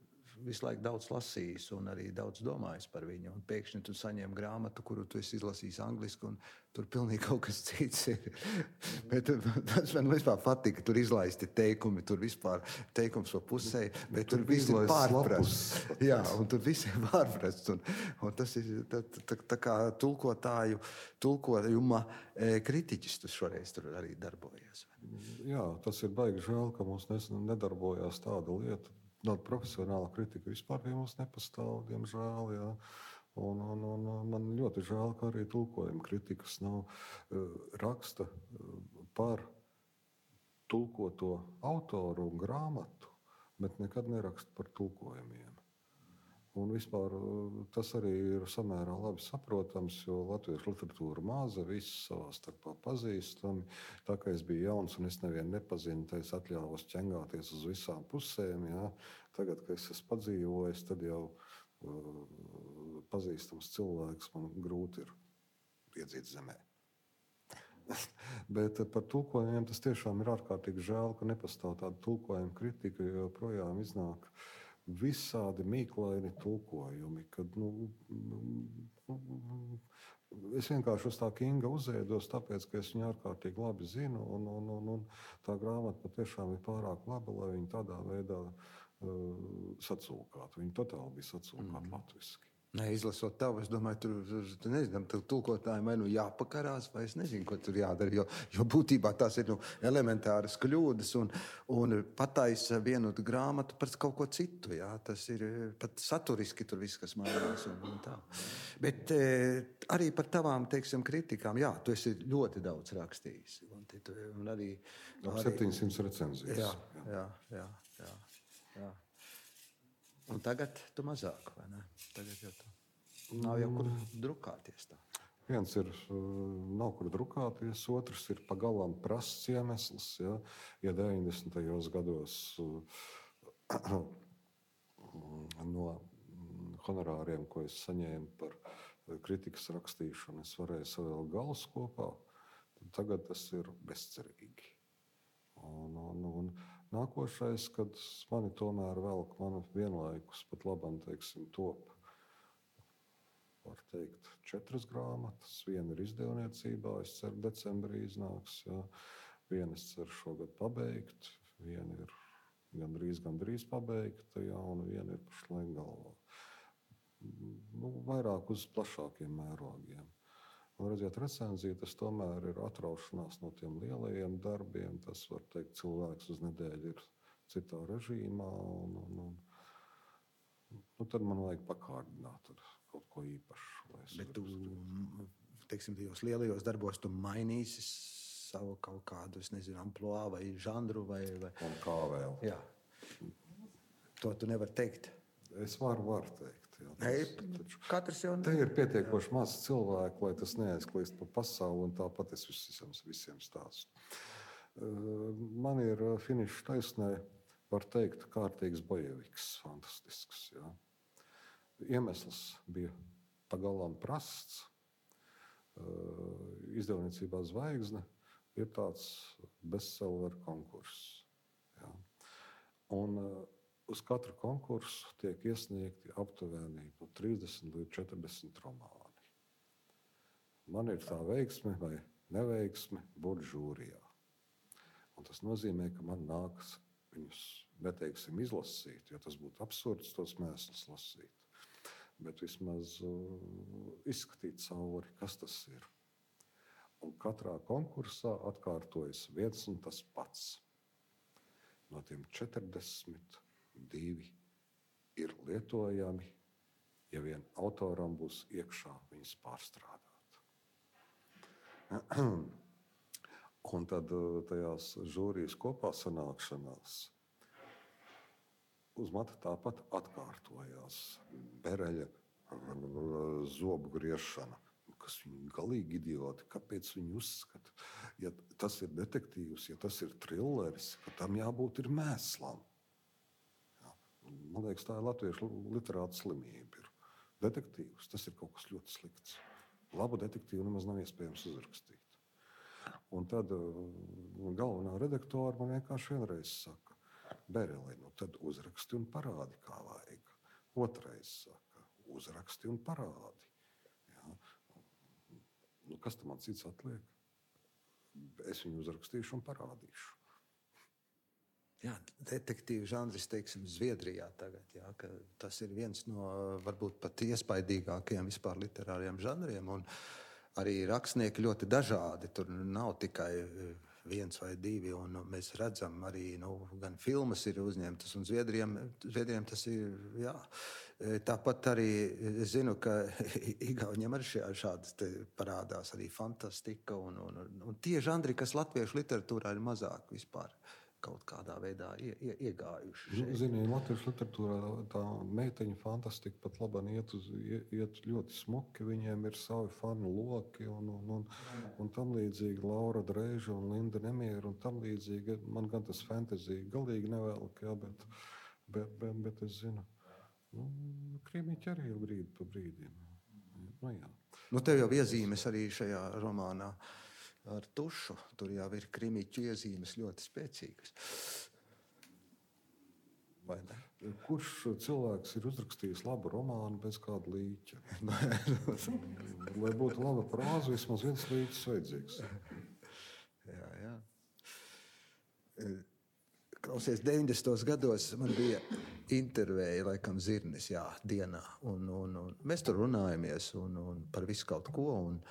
visu laiku daudz lasījis un arī daudz domājis par viņu. Un pēkšņi tu saņem grāmatu, kuru tu esi izlasījis angliski, un tur pilnīgi kaut kas cits ir. Bet tas man vispār patika, tur izlaisti teikumi, tur vispār teikums pa pusē, bet tur, tur viss ir pārprasts. Jā, un tur viss ir pārprasts. Un, un tas ir tā, tā, tā kā tulkotāju, tulkojuma kritiķis tu šoreiz tur arī darbojies. Jā, tas ir baigi žēl, ka mums nedarbojās tāda lieta. Tāda profesionāla kritika vispār pie mums nepastāv, diemžēl. Jā. Un, un, un man ļoti žēl, ka arī tulkojuma kritikas nav raksta par tulkoto autoru un grāmatu, bet nekad neraksta par tulkojumiem. Un vispār tas arī ir samērā labi saprotams, jo latviešu literatūra maza, viss savā starpā pazīstami. Tā kā es biju jauns un es nevienu nepazinu, tad es atļāvos ķengāties uz visām pusēm. Jā. Tagad, kad es esmu padzīvojis, tad jau uh, pazīstams cilvēks man grūti ir iedzīt zemē. Bet par tulkojumiem tas tiešām ir ārkārtīgi žēl, ka nepastāv tāda tulkojuma kritika, jo projām iznāk visādi mīklaini tulkojumi, kad, nu, es vienkārši uz tā Kinga uzēdos, tāpēc, ka es viņu ārkārtīgi labi zinu, un, un, un, un tā grāmata patiešām ir pārāk laba, lai viņi tādā veidā uh, sacūkātu. Viņi totāli bija sacūkāti mm. latviski. Nē, izlasot tavu, es domāju, tur, tur nezinu, tur tulkotājiem vai nu jāpakarās, vai es nezinu, ko tur jādara, jo, jo būtībā tās ir nu, elementāras kļūdas un, un pataisa vienu grāmatu par kaut ko citu, jā, tas ir pat saturiski tur viss, kas mainās un, un tā. Bet e, arī par tavām, teiksim, kritikām, jā, tu esi ļoti daudz rakstījis. Un, un arī, arī septiņsimt recenzijas. Jā, jā, jā, jā, jā. Un tagad tu mazāk, vai ne? Tagad jau tu nav jau kur drukāties tā. Viens ir, nav kur drukāties, otrs ir pagalām prasts iemesls. Ja, ja deviņdesmitajos gados no honorāriem, ko es saņēmu par kritikas rakstīšanu, es varēju savēl galus kopā, tad tagad tas ir bezcerīgi. Un, un, un nākošais, kad mani tomēr velk mani vienlaikus pat labam, teiksim, top, var teikt, četras grāmatas. Viena ir izdevniecībā, es ceru, decembrī iznāks. Jā. Viena es ceru šogad pabeigt, viena ir gandrīz, gandrīz pabeigta, jā, un viena ir pašlaik galvā. Nu, vairāk uz plašākiem mērogiem. Un, redziet, recenzija, tas tomēr ir atraušanās no tiem lielajiem darbiem. Tas, var teikt, cilvēks uz nedēļu ir citā režīmā. Un, un, un, nu, tad man vajag pakārdināt kaut ko īpašu. Bet tu, teiksim, tajos lielajos darbos tu mainīsi savu kaut kādu, es nezinu, amploā vai žanru vai... vai... Un kā vēl. Jā. to tu nevari teikt. Es varu, varu teikt. Jā, tas, Ei, katrs jau... Te ir pietiekoši maz cilvēku, lai tas neaizklīst pa pasauli, un tāpat es visiem, visiem stāstu. Man ir finiša taisnē, var teikt, kārtīgs bojeviks, fantastisks. Jā. Iemesls bija pagalām prasts. Izdevniecībā Zvaigzne ir tāds bestseller konkurss. Jā. Un uz katru konkursu tiek iesniegti aptuveni no trīsdesmit līdz četrdesmit romāni. Man ir tā veiksme vai neveiksme būt žūrijā. Un tas nozīmē, ka man nākas viņus, neteiksim, izlasīt, jo tas būtu absurds tos mēslus lasīt. Bet vismaz uh, izskatīt cauri, kas tas ir. Un katrā konkursā atkārtojas viens un tas pats. No tiem četrdesmit divi ir lietojami, ja vien autoram būs iekšā viņus pārstrādāt. Un tad tajās žūrijas kopā sanākšanās uz mata tāpat atkārtojās Bereļa zobu griešana, kas viņi galīgi idioti. Kāpēc viņi uzskata, ja tas ir detektīvs, ja tas ir trilleris, ka tam jābūt ir mēslam? Jā. Man liekas, tā ir latviešu literāta slimība. Ir. Detektīvs, tas ir kaut kas ļoti slikts. Labu detektīvu nemaz nav iespējams uzrakstīt. Un tad galvenā redaktora man vienkārši vienreiz saka, Bereli, nu tad uzraksti un parādi, kā vajag. Otrais saka, uzraksti un parādi. Jā. Nu, kas tam man cits atliek? Es viņu uzrakstīšu un parādīšu. Jā, detektīvu žanris, teiksim, Zviedrijā tagad, jā, ka tas ir viens no varbūt pat iespaidīgākajiem vispār literāriem žanriem, un arī rakstnieki ļoti dažādi, tur nav tikai viens vai divi, un mēs redzam arī, nu, gan filmas ir uzņemtas, un Zviedrijam, Zviedrijam tas ir, jā. Tāpat arī es zinu, ka Igauņiem arī šādas te parādās arī fantastika, un, un, un tie žanri, kas latviešu literatūrā ir mazāk vispār kaut kādā veidā ie, ie, iegājuši. Zini, latviešu literatūrā tā meiteņu fantastika pat labāk iet, uz, iet ļoti smuki, viņiem ir savi fanu loki un, un, un, un tam līdzīgi Laura Dreiža un Linda Nemiera un tam līdzīgi. Man gan tas fantasy galīgi nevēlk, jā, bet, bet, bet, bet es zinu, nu, krimiķi arī ir brīdi pa brīdim. Nu, jā. Nu, tev jau iezīmes arī šajā romānā ar tušu. Tur jau ir krimiķu iezīmes ļoti spēcīgas. Vai ne? Kurš cilvēks ir uzrakstījis labu romānu bez kāda līķa? Lai būtu laba prāza, vismaz viens līķis vajadzīgs. Jā, jā. Klausies, deviņdesmitos gados man bija intervēja, laikam, Zirnis, jā, dienā. Un, un, un mēs tur runājamies un, un par visu kaut ko. Un,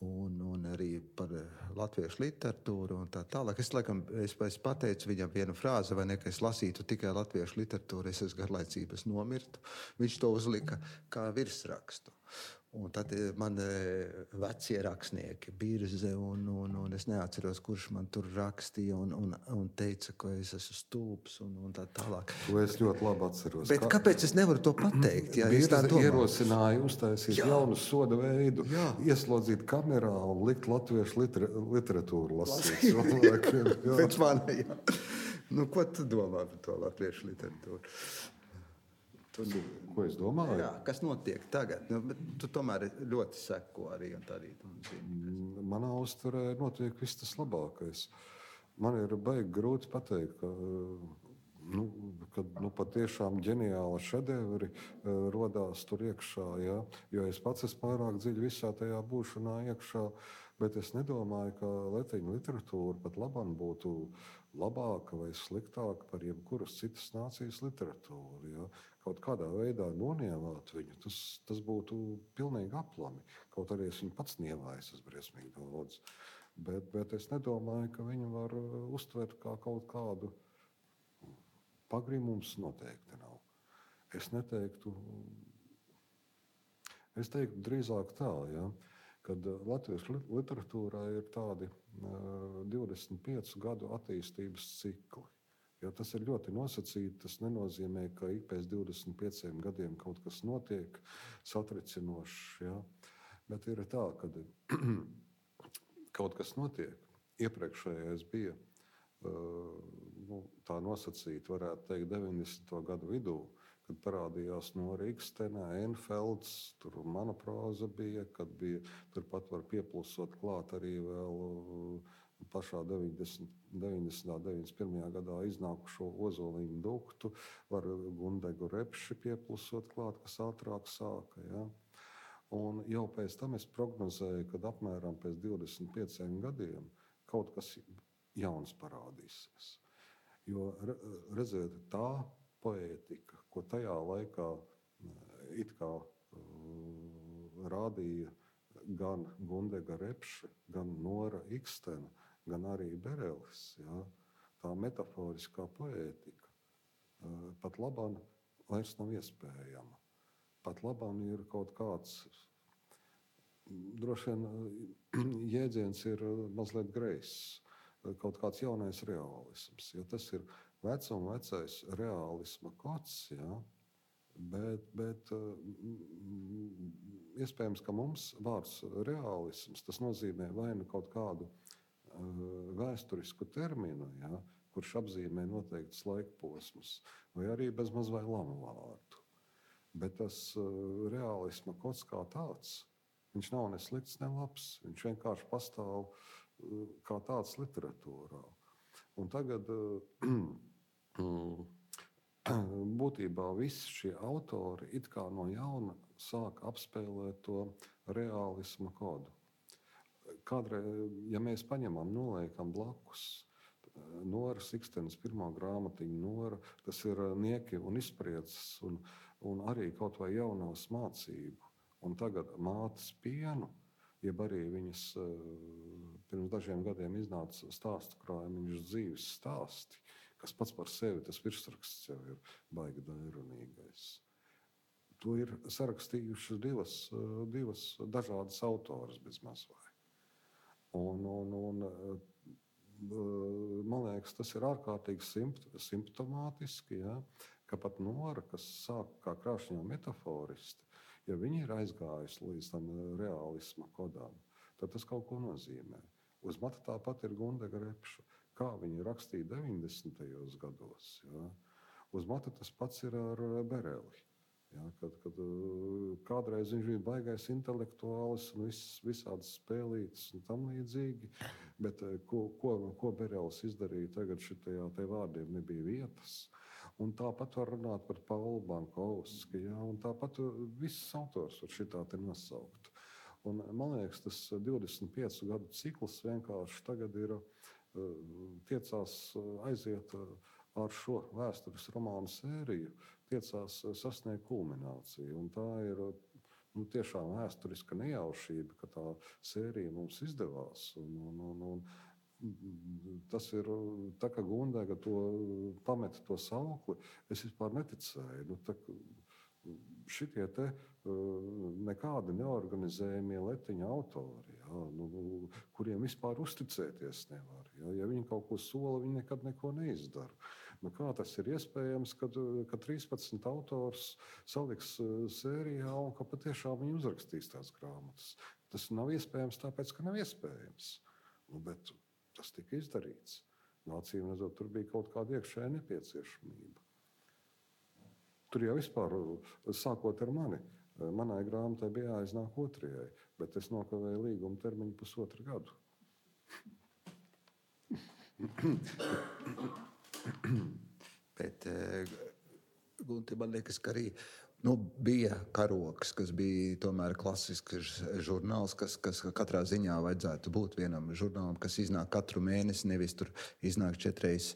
Un, un arī par latviešu literatūru un tā tālāk. Es, laikam, es, es pateicu viņam vienu frāzi, vai ne, ka es lasītu tikai latviešu literatūru, es esmu garlaicības nomirtu. Viņš to uzlika kā virsrakstu. Un tad man vecie rakstnieki, Birze, un, un, un es neatceros, kurš man tur rakstīja un, un, un teica, ka es esmu stulbs un, un tā tālāk. To es ļoti labi atceros. Bet kā... kāpēc es nevaru to pateikt? Ja Birze ierosināja uztaisīt jaunu soda veidu, jā. Ieslodzīt kamerā un likt latviešu liter, literatūru lasīt. Pēc mana, jā. Nu, ko tu domā par to latviešu literatūru? Tu, ko es domāju? Jā, kas notiek tagad? Nu, bet tu tomēr ļoti seko arī un tā arī. Manā uztverē notiek viss tas labākais. Man ir baigi grūti pateikt, ka, nu, kad nu, patiešām ģeniāli šedevri uh, rodās tur iekšā. Ja? Jo es pats esmu pārāk dziļi visā tajā būšanā iekšā, bet es nedomāju, ka leteņu literatūra pat labam būtu labāka vai sliktāka par jebkuras citas nācijas literatūru. Ja? Kaut kādā veidā nonievāt viņu, tas, tas būtu pilnīgi aplami. Kaut arī es viņu pats nievāju, tas briesmīgi daudz. Bet, bet es nedomāju, ka viņu var uztvert kā kaut kādu pagrimums noteikti nav. Es neteiktu, es teiktu drīzāk tā, ja, kad latviešu literatūrā ir tādi uh, divdesmit piecu gadu attīstības cikli. Jo tas ir ļoti nosacīti. Tas nenozīmē, ka ik pēc divdesmit pieciem gadiem kaut kas notiek satricinošs. Ja? Bet ir tā, ka kaut kas notiek. Iepriekšējais bija uh, nu, tā nosacīti, varētu teikt, deviņdesmito gadu vidū, kad parādījās Nora Ikstena, Enfelds, tur mana proza bija, kad bija turpat var pieplusot klāt arī vēl uh, pašā deviņdesmit, deviņdesmit, deviņdesmit pirmajā gadā iznākušo Ozoliņu duktu, var Gundegu Repši pieplusot klāt, kas ātrāk sāka. Ja? Un jau pēc tam es prognozēju, kad apmēram pēc divdesmit pieciem gadiem kaut kas jauns parādīsies. Jo, redziet, tā poētika, ko tajā laikā it kā uh, rādīja gan Gundega Repše, gan Nora Ikstena, gan arī Berelis, ja, tā metaforiskā poētika, uh, pat labāk vairs nav iespējama. Pat labāk ir kaut kāds, droši vien jēdziens ir mazliet greizs, kaut kāds jaunais realisms, jo tas ir vecuma vecais realisma kods, ja, bet, bet iespējams, ka mums vārds realisms, tas nozīmē vai nu kaut kādu vēsturisku terminu, ja, kurš apzīmē noteikts laikposmus, vai arī bezmaz vai lamu vārdu. Bet tas realisma kods kā tāds, viņš nav ne slikts, ne labs. Viņš vienkārši pastāv kā tāds literatūrā. Un tagad būtībā visi šie autori it kā no jauna sāk apspēlēt to realisma kodu. Kādreiz, ja mēs paņemam, noliekam blakus Noras Ikstenes pirmā grāmatiņa Nora, tas ir nieki un izsprieces un, un arī kaut vai jaunās mācību. Un tagad mātes pienu, jeb arī viņas pirms dažiem gadiem iznāca stāstu krājumiņš dzīves stāsti, kas pats par sevi, tas virsraksts jau ir baigi dairunīgais. To ir sarakstījušas divas, divas dažādas autoras bez mazvai. Un, un, un, man liekas, tas ir ārkārtīgi simpt, simptomātiski, ja, ka pat Nora, kas sāk kā krāšņā metaforisti, ja viņi ir aizgājusi līdz tam realisma kodām, tad tas kaut ko nozīmē. Uz mata tāpat ir Gundega Repša, kā viņi rakstīja deviņdesmitajos gados. Ja. Uz mata tas pats ir ar Bereli. Ja, kad, kad kādreiz viņš bija baigais intelektuālis un vis, visādas spēlītas un tam līdzīgi, bet ko, ko, ko Berelis izdarīja tagad šitajā te vārdiem nebija vietas. Un tāpat var runāt par Paulu Bankovski, ja, un tāpat viss autors var šitā te nosaukt. Un man liekas, tas divdesmit piecu gadu cikls vienkārši tagad ir tiecās aiziet ar šo vēstures romānu sēriju, tiecās sasniegt kulmināciju. Un tā ir nu, tiešām vēsturiska nejaušība, ka tā sērija mums izdevās. Un, un, un, un tas ir tā, ka Gundega to pameta to saukli, es vispār neticēju. Nu, tā, šitie te nekādi neorganizējumie letiņa autori, ja, nu, kuriem vispār uzticēties nevar. Ja, ja viņi kaut ko sola, viņi nekad neko neizdara. Nu, kā tas ir iespējams, kad, kad trīspadsmit autors saliks sērijā un ka patiešām viņi uzrakstīs tās grāmatas? Tas nav iespējams tāpēc, ka nav iespējams. Nu, bet tas tika izdarīts. Acīm redzot, tur bija kaut kāda iekšēja nepieciešamība. Tur jau vispār, sākot ar mani, manai grāmatai bija jāiznāk otrajai, bet es nokavēju līguma termiņu pusotru gadu. Bet, Gunti, man liekas, ka arī nu, bija Karoks, kas bija tomēr klasisks žurnāls, kas, kas katrā ziņā vajadzētu būt vienam žurnālam, kas iznāk katru mēnesi, nevis tur iznāk četreiz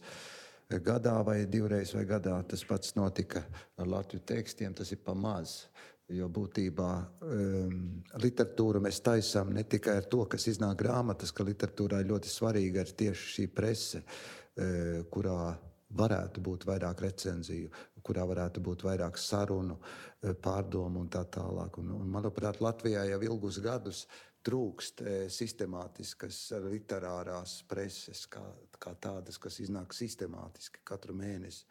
gadā vai divreiz vai gadā. Tas pats notika ar Latviju tekstiem, tas ir pa maz. Jo būtībā um, literatūru mēs taisām ne tikai ar to, kas iznāk grāmatas, ka literatūrā ļoti svarīga ir tieši šī prese, uh, kurā varētu būt vairāk recenziju, kurā varētu būt vairāk sarunu, pārdomu un tā tālāk. Un, un, manuprāt, Latvijā jau ilgus gadus trūkst sistemātiskas literārās preses, kā, kā tādas, kas iznāk sistemātiski katru mēnesi.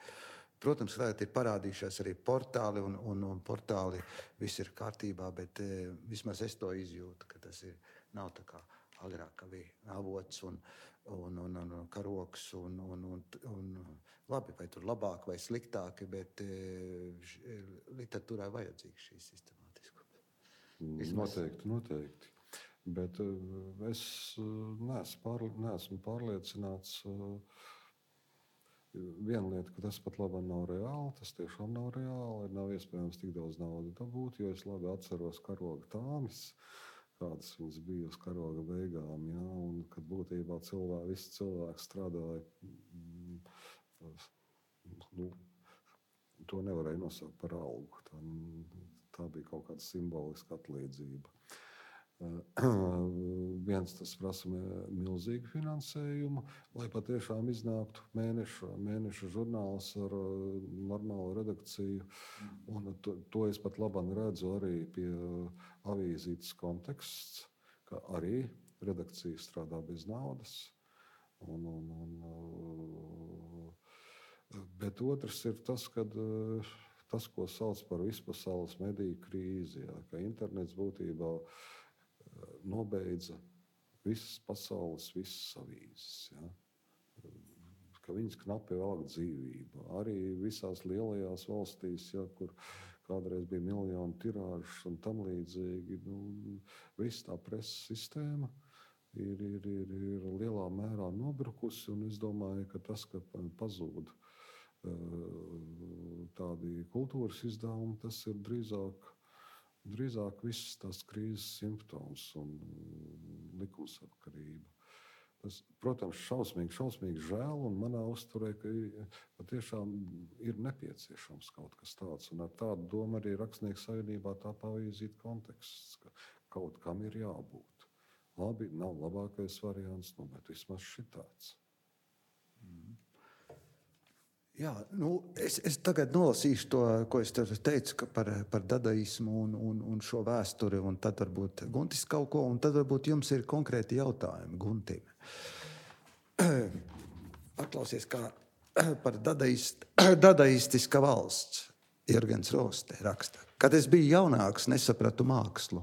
Protams, vēl ir parādījušies arī portāli, un, un, un portāli viss ir kārtībā, bet e, vismaz es to izjūtu, ka tas ir, nav tā kā agrāk, ka bija avots un, un, un, un karoks, un, un, un, un labi, vai tur labāk vai sliktāki, bet e, š, literatūrai vajadzīgs šī sistemātiskuma. Vismaz... Noteikti, noteikti. Bet uh, es uh, neesmu, pārli neesmu pārliecināts. Uh, Viena lieta, ka tas pat labi nav reāli, tas tiešām nav reāli. Nav iespējams tik daudz naudas dabūt, jo es labi atceros karoga tāmis, kādas viņas bija uz karoga beigām. Ja? Un kad būtībā cilvēki, visi cilvēki strādāja, mm, nu, to nevarēja nosaukt par algu. Tā, tā bija kaut kāda simboliska atlīdzība. Viens tas prasa milzīgu finansējumu, lai patiešām iznāktu mēneša, mēneša žurnāls ar normālu redakciju. Un to, to es pat labāk redzu arī pie avīzītes konteksts, ka arī redakcija strādā bez naudas. Un, un, un, bet otrs ir tas, kad tas, ko sauc par vispasaules mediju krīzi, jā, ka internets būtībā nobeidza visas pasaules, visas avīzes. Ja? Ka viņas knapi velk dzīvību. Arī visās lielajās valstīs, ja, kur kādreiz bija miljonu tirāžas un tam līdzīgi, nu, viss tā preses sistēma ir, ir, ir, ir lielā mērā nobrukusi. Un es domāju, ka tas, ka pazūd tādi kultūras izdevumi, tas ir drīzāk Drīzāk viss tās krīzes simptoms un likumsakarība. Tas, protams, šausmīgi, šausmīgi žēl, un manā uzturē, ka patiešām ir nepieciešams kaut kas tāds. Un ar tādu domu arī Rakstnieku savienībā tā pavīzīt konteksts, ka kaut kam ir jābūt. Labi, nav labākais variants, nu, bet vismaz šitāds. Mm. Jā, nu, es, es tagad nolasīšu to, ko es tev teicu par, par dadaismu un, un, un šo vēsturi, un tad varbūt Guntis kaut ko, un tad varbūt jums ir konkrēti jautājumi Guntim. Paklausies, kā par dadaist, dadaistiska valsts Jurgens Roste raksta. Kad es biju jaunāks, nesapratu mākslu.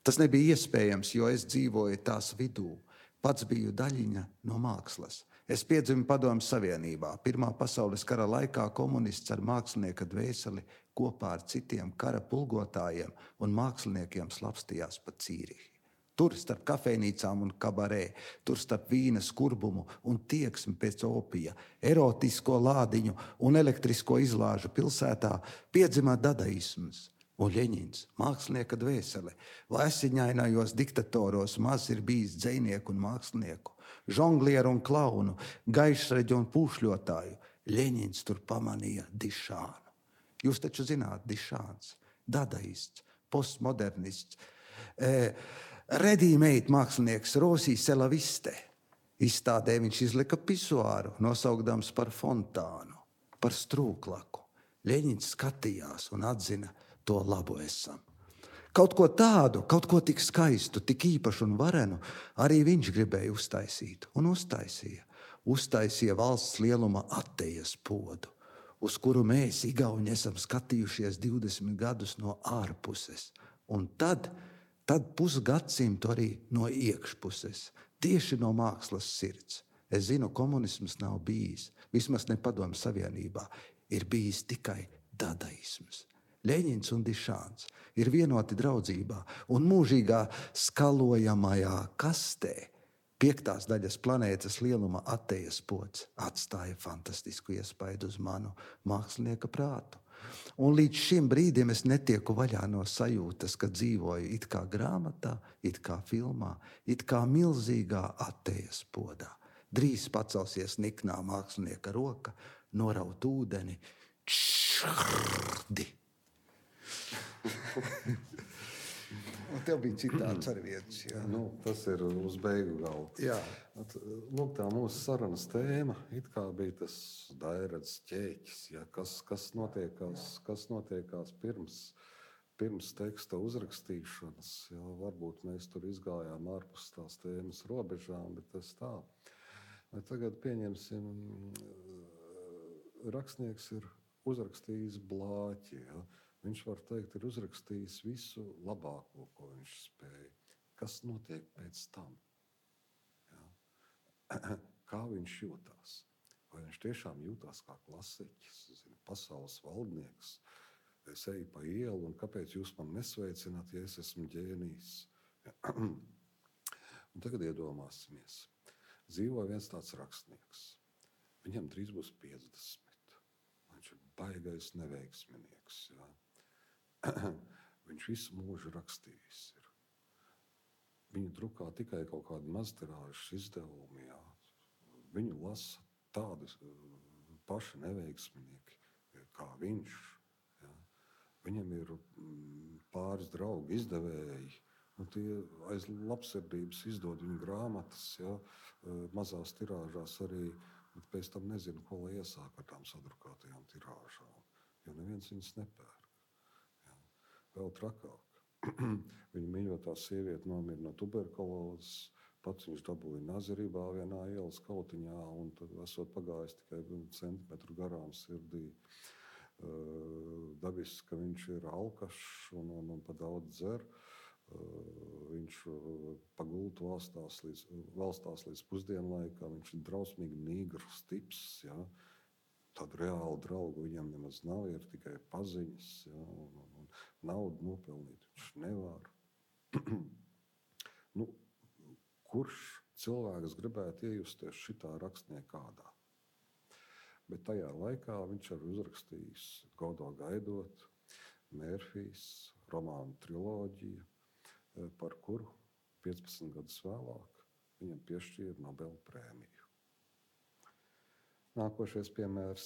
Tas nebija iespējams, jo es dzīvoju tās vidū. Pats biju daļiņa no mākslas. Es piedzimu Padomju Savienībā. Pirmā pasaules kara laikā komunists ar mākslinieka dvēseli kopā ar citiem kara pulgotājiem un māksliniekiem slapstījās pa Cīrihi. Tur starp kafejnīcām un kabarē, tur starp vīna skurbumu un tieksmi pēc opija, erotisko lādiņu un elektrisko izlāžu pilsētā piedzimā dadaisms. Un Ļeņins, mākslinieka dvēsele, vēsiņainajos diktatoros maz ir bijis dzejnieku un mākslinieku, žonglieru un klaunu, gaišreģu un pūšļotāju. Ļeņins tur pamanīja Dišānu. Jūs taču zināt, Dišāns, dadaists, postmodernists, eh, ready-made mākslinieks Rosī Selaviste. Izstādē viņš izlika pisuāru, nosaukdams par fontānu, par strūklaku. Ļeņins skatījās un atzina, to labu esam. Kaut ko tādu, kaut ko tik skaistu, tik īpašu un varenu, arī viņš gribēja uztaisīt un uztaisīja. Uztaisīja valsts lieluma attejas podu, uz kuru mēs, igauņi, esam skatījušies divdesmit gadus no ārpuses. Un tad, tad pusgadsimtu arī no iekšpuses, tieši no mākslas sirds. Es zinu, komunisms nav bijis, vismaz ne Padomju Savienībā, ir bijis tikai dadaisms. Ļeņins un Dišāns ir vienoti draudzībā un mūžīgā skalojamajā kastē piektās daļas planētas lieluma attejas pods atstāja fantastisku iespaidu uz manu mākslinieka prātu. Un līdz šim brīdim es netieku vaļā no sajūtas, ka dzīvoju it kā grāmatā, it kā filmā, it kā milzīgā attejas podā. Drīz pacelsies niknā mākslinieka roka, noraut ūdeni, čšrdi. Un tev bija citāds ar vietas. Jā. Nu, tas ir uz beigu galda. Jā. At, lūk, tā mūsu sarunas tēma it kā bija tas dairats ķēķis, ja, kas, kas notiekās, kas notiekās pirms, pirms teksta uzrakstīšanas. Ja, varbūt mēs tur izgājām ārpus tās tēmas robežām, bet tas tā. Vai tagad pieņemsim, rakstnieks ir uzrakstījis blāķi. Ja. Viņš var teikt, ir uzrakstījis visu labāko, ko viņš spēja. Kas notiek pēc tam? Ja. Kā viņš jūtās? Vai viņš tiešām jūtās kā klasiķis, zin, pasaules valdnieks? Es eju pa ielu, un kāpēc jūs man nesveicināt, ja es esmu ģēnijs? Ja. Un tagad iedomāsimies. Dzīvo viens tāds rakstnieks. Viņam drīz būs piecdesmit. Viņš ir baigais neveiksminieks. Ja. Viņš visu mūžu rakstījis ir. Viņu drukā tikai kaut kādi maztirāžas izdevumi. Jā. Viņu lasa tādi paši neveiksminieki kā viņš. Jā. Viņam ir pāris draugi izdevēji. Un tie aiz labsirdības izdod viņu grāmatas, jā, mazās tirāžās arī, bet pēc tam nezinu, ko lai iesāk ar tām sadrukātajām tirāžām, jo neviens viņas nepērk. Vēl trakāk. Viņa mīļotā sieviete nomira no tuberkulozes, pats viņš dabūja nazirībā vienā ielas kautiņā, un tad esot pagājis tikai centimetru garām sirdī. Uh, dabiski, ka viņš ir alkašs un, un, un pa daudz dzer. Uh, viņš pa gultu valstās līdz, valstās līdz pusdienlaikam, viņš ir drausmīgi nīgrs tips, ja. Tādu reālu draugu viņam nemaz nav, ir tikai paziņas, ja, un, un, un naudu nopelnīt viņš nevar. Nu, kurš cilvēks gribētu iejusties šitā rakstnieka kādā? Bet tajā laikā viņš arī uzrakstījis Godo gaidot, Mērfijs, romānu triloģiju, par kuru piecpadsmit gadus vēlāk viņam piešķīra Nobela prēmiju. Nākošais piemērs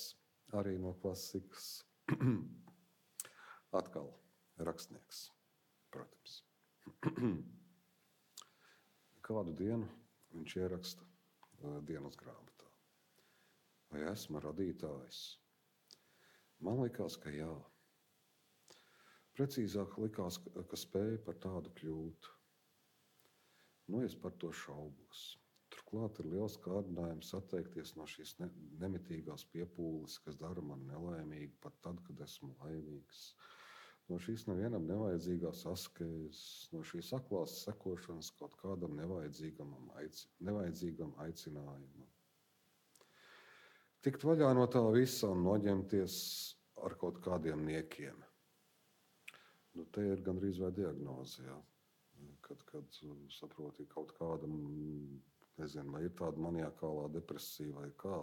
arī no klasikas. Atkal rakstnieks, protams. Kādu dienu viņš ieraksta dienas grāmatā. Vai esmu radītājs? Man likās, ka jā. Precīzāk likās, ka spēju par tādu kļūt. Nu, es par to šaubos. Turklāt ir liels kārdinājums atteikties no šīs ne, nemitīgās piepūles, kas dara mani nelaimīgu pat tad, kad esmu laimīgs. No šīs nevienam nevajadzīgās askēzes, no šīs aklās sekošanas kaut kādam nevajadzīgam, aici, nevajadzīgam aicinājumam. Tikt vaļā no tā visa un noņemties ar kaut kādiem niekiem. Nu, te ir gandrīz vai diagnoze, ja? kad, kad saproti kaut kādam, nezinu, vai ir tāda maniakālā depresija vai kā,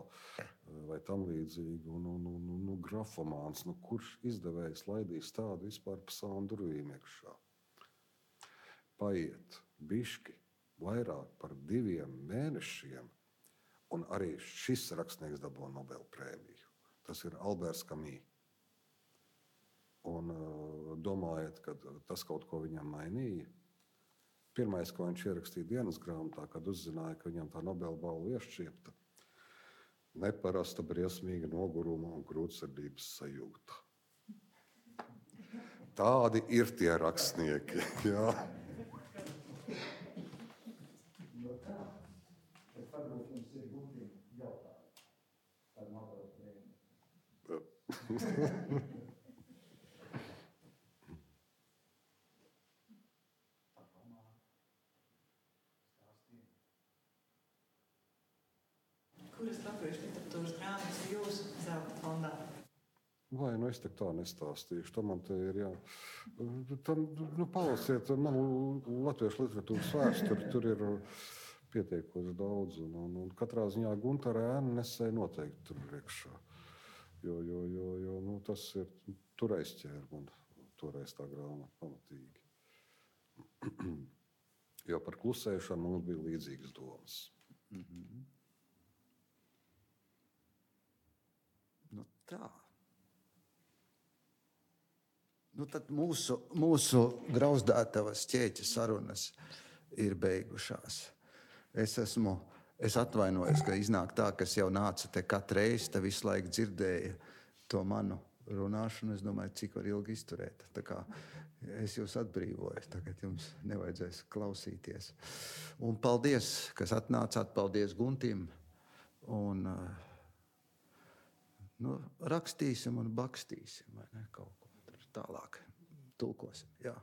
vai tam līdzīgi, un, un, un, un, un grafomāns, nu, kurš izdevējs laidīs tādu vispār pa savām durvīm iekšā. Paiet bišķi vairāk par diviem mēnešiem, un arī šis rakstnieks dabū Nobela prēmiju. Tas ir Alberts Kamī. Un domājat, ka tas kaut ko viņam mainīja? Pirmais, ko viņš ierakstīja dienas grāmatā, kad uzzināja, ka viņam tā Nobela balva iešķiepta, neparasta, briesmīga noguruma un grūtsirdības sajūta. Tādi ir tie rakstnieki. Jā. No tā, bet varbūt jums ir gudri jautājumi par Nobela prēmiju. Kuras latviešu literatūras grāmatas ir jūsu zelta fondā? Vai, nu es tā nestāstīšu. Tam man te ir jā. Tam, nu, palasiet, man latviešu literatūras vēsturi, tur ir pietiekoši daudz. Un, un, un katrā ziņā Guntara ēna nesēja noteikti tur priekšā. Jo, jo, jo, jo nu, tas ir, tur aizķēra man toreiz tā grāmata pamatīgi. Jo par klusēšanu mums bija līdzīgas domas. Mm-hmm. Nu tā. Nu, tad mūsu, mūsu grauzdātavas ķēķa sarunas ir beigušās. Es esmu, es atvainojos, ka iznāk tā, ka es jau nācu te katru reizi, te visu laiku dzirdēju to manu runāšanu. Es domāju, cik var ilgi izturēt. Tā kā es jūs atbrīvoju, tagad jums nevajadzēs klausīties. Un paldies, kas atnācāt, paldies Guntim. Un nu, rakstīsim un bakstīsim, vai ne, kaut ko tālāk tulkosim. Jā.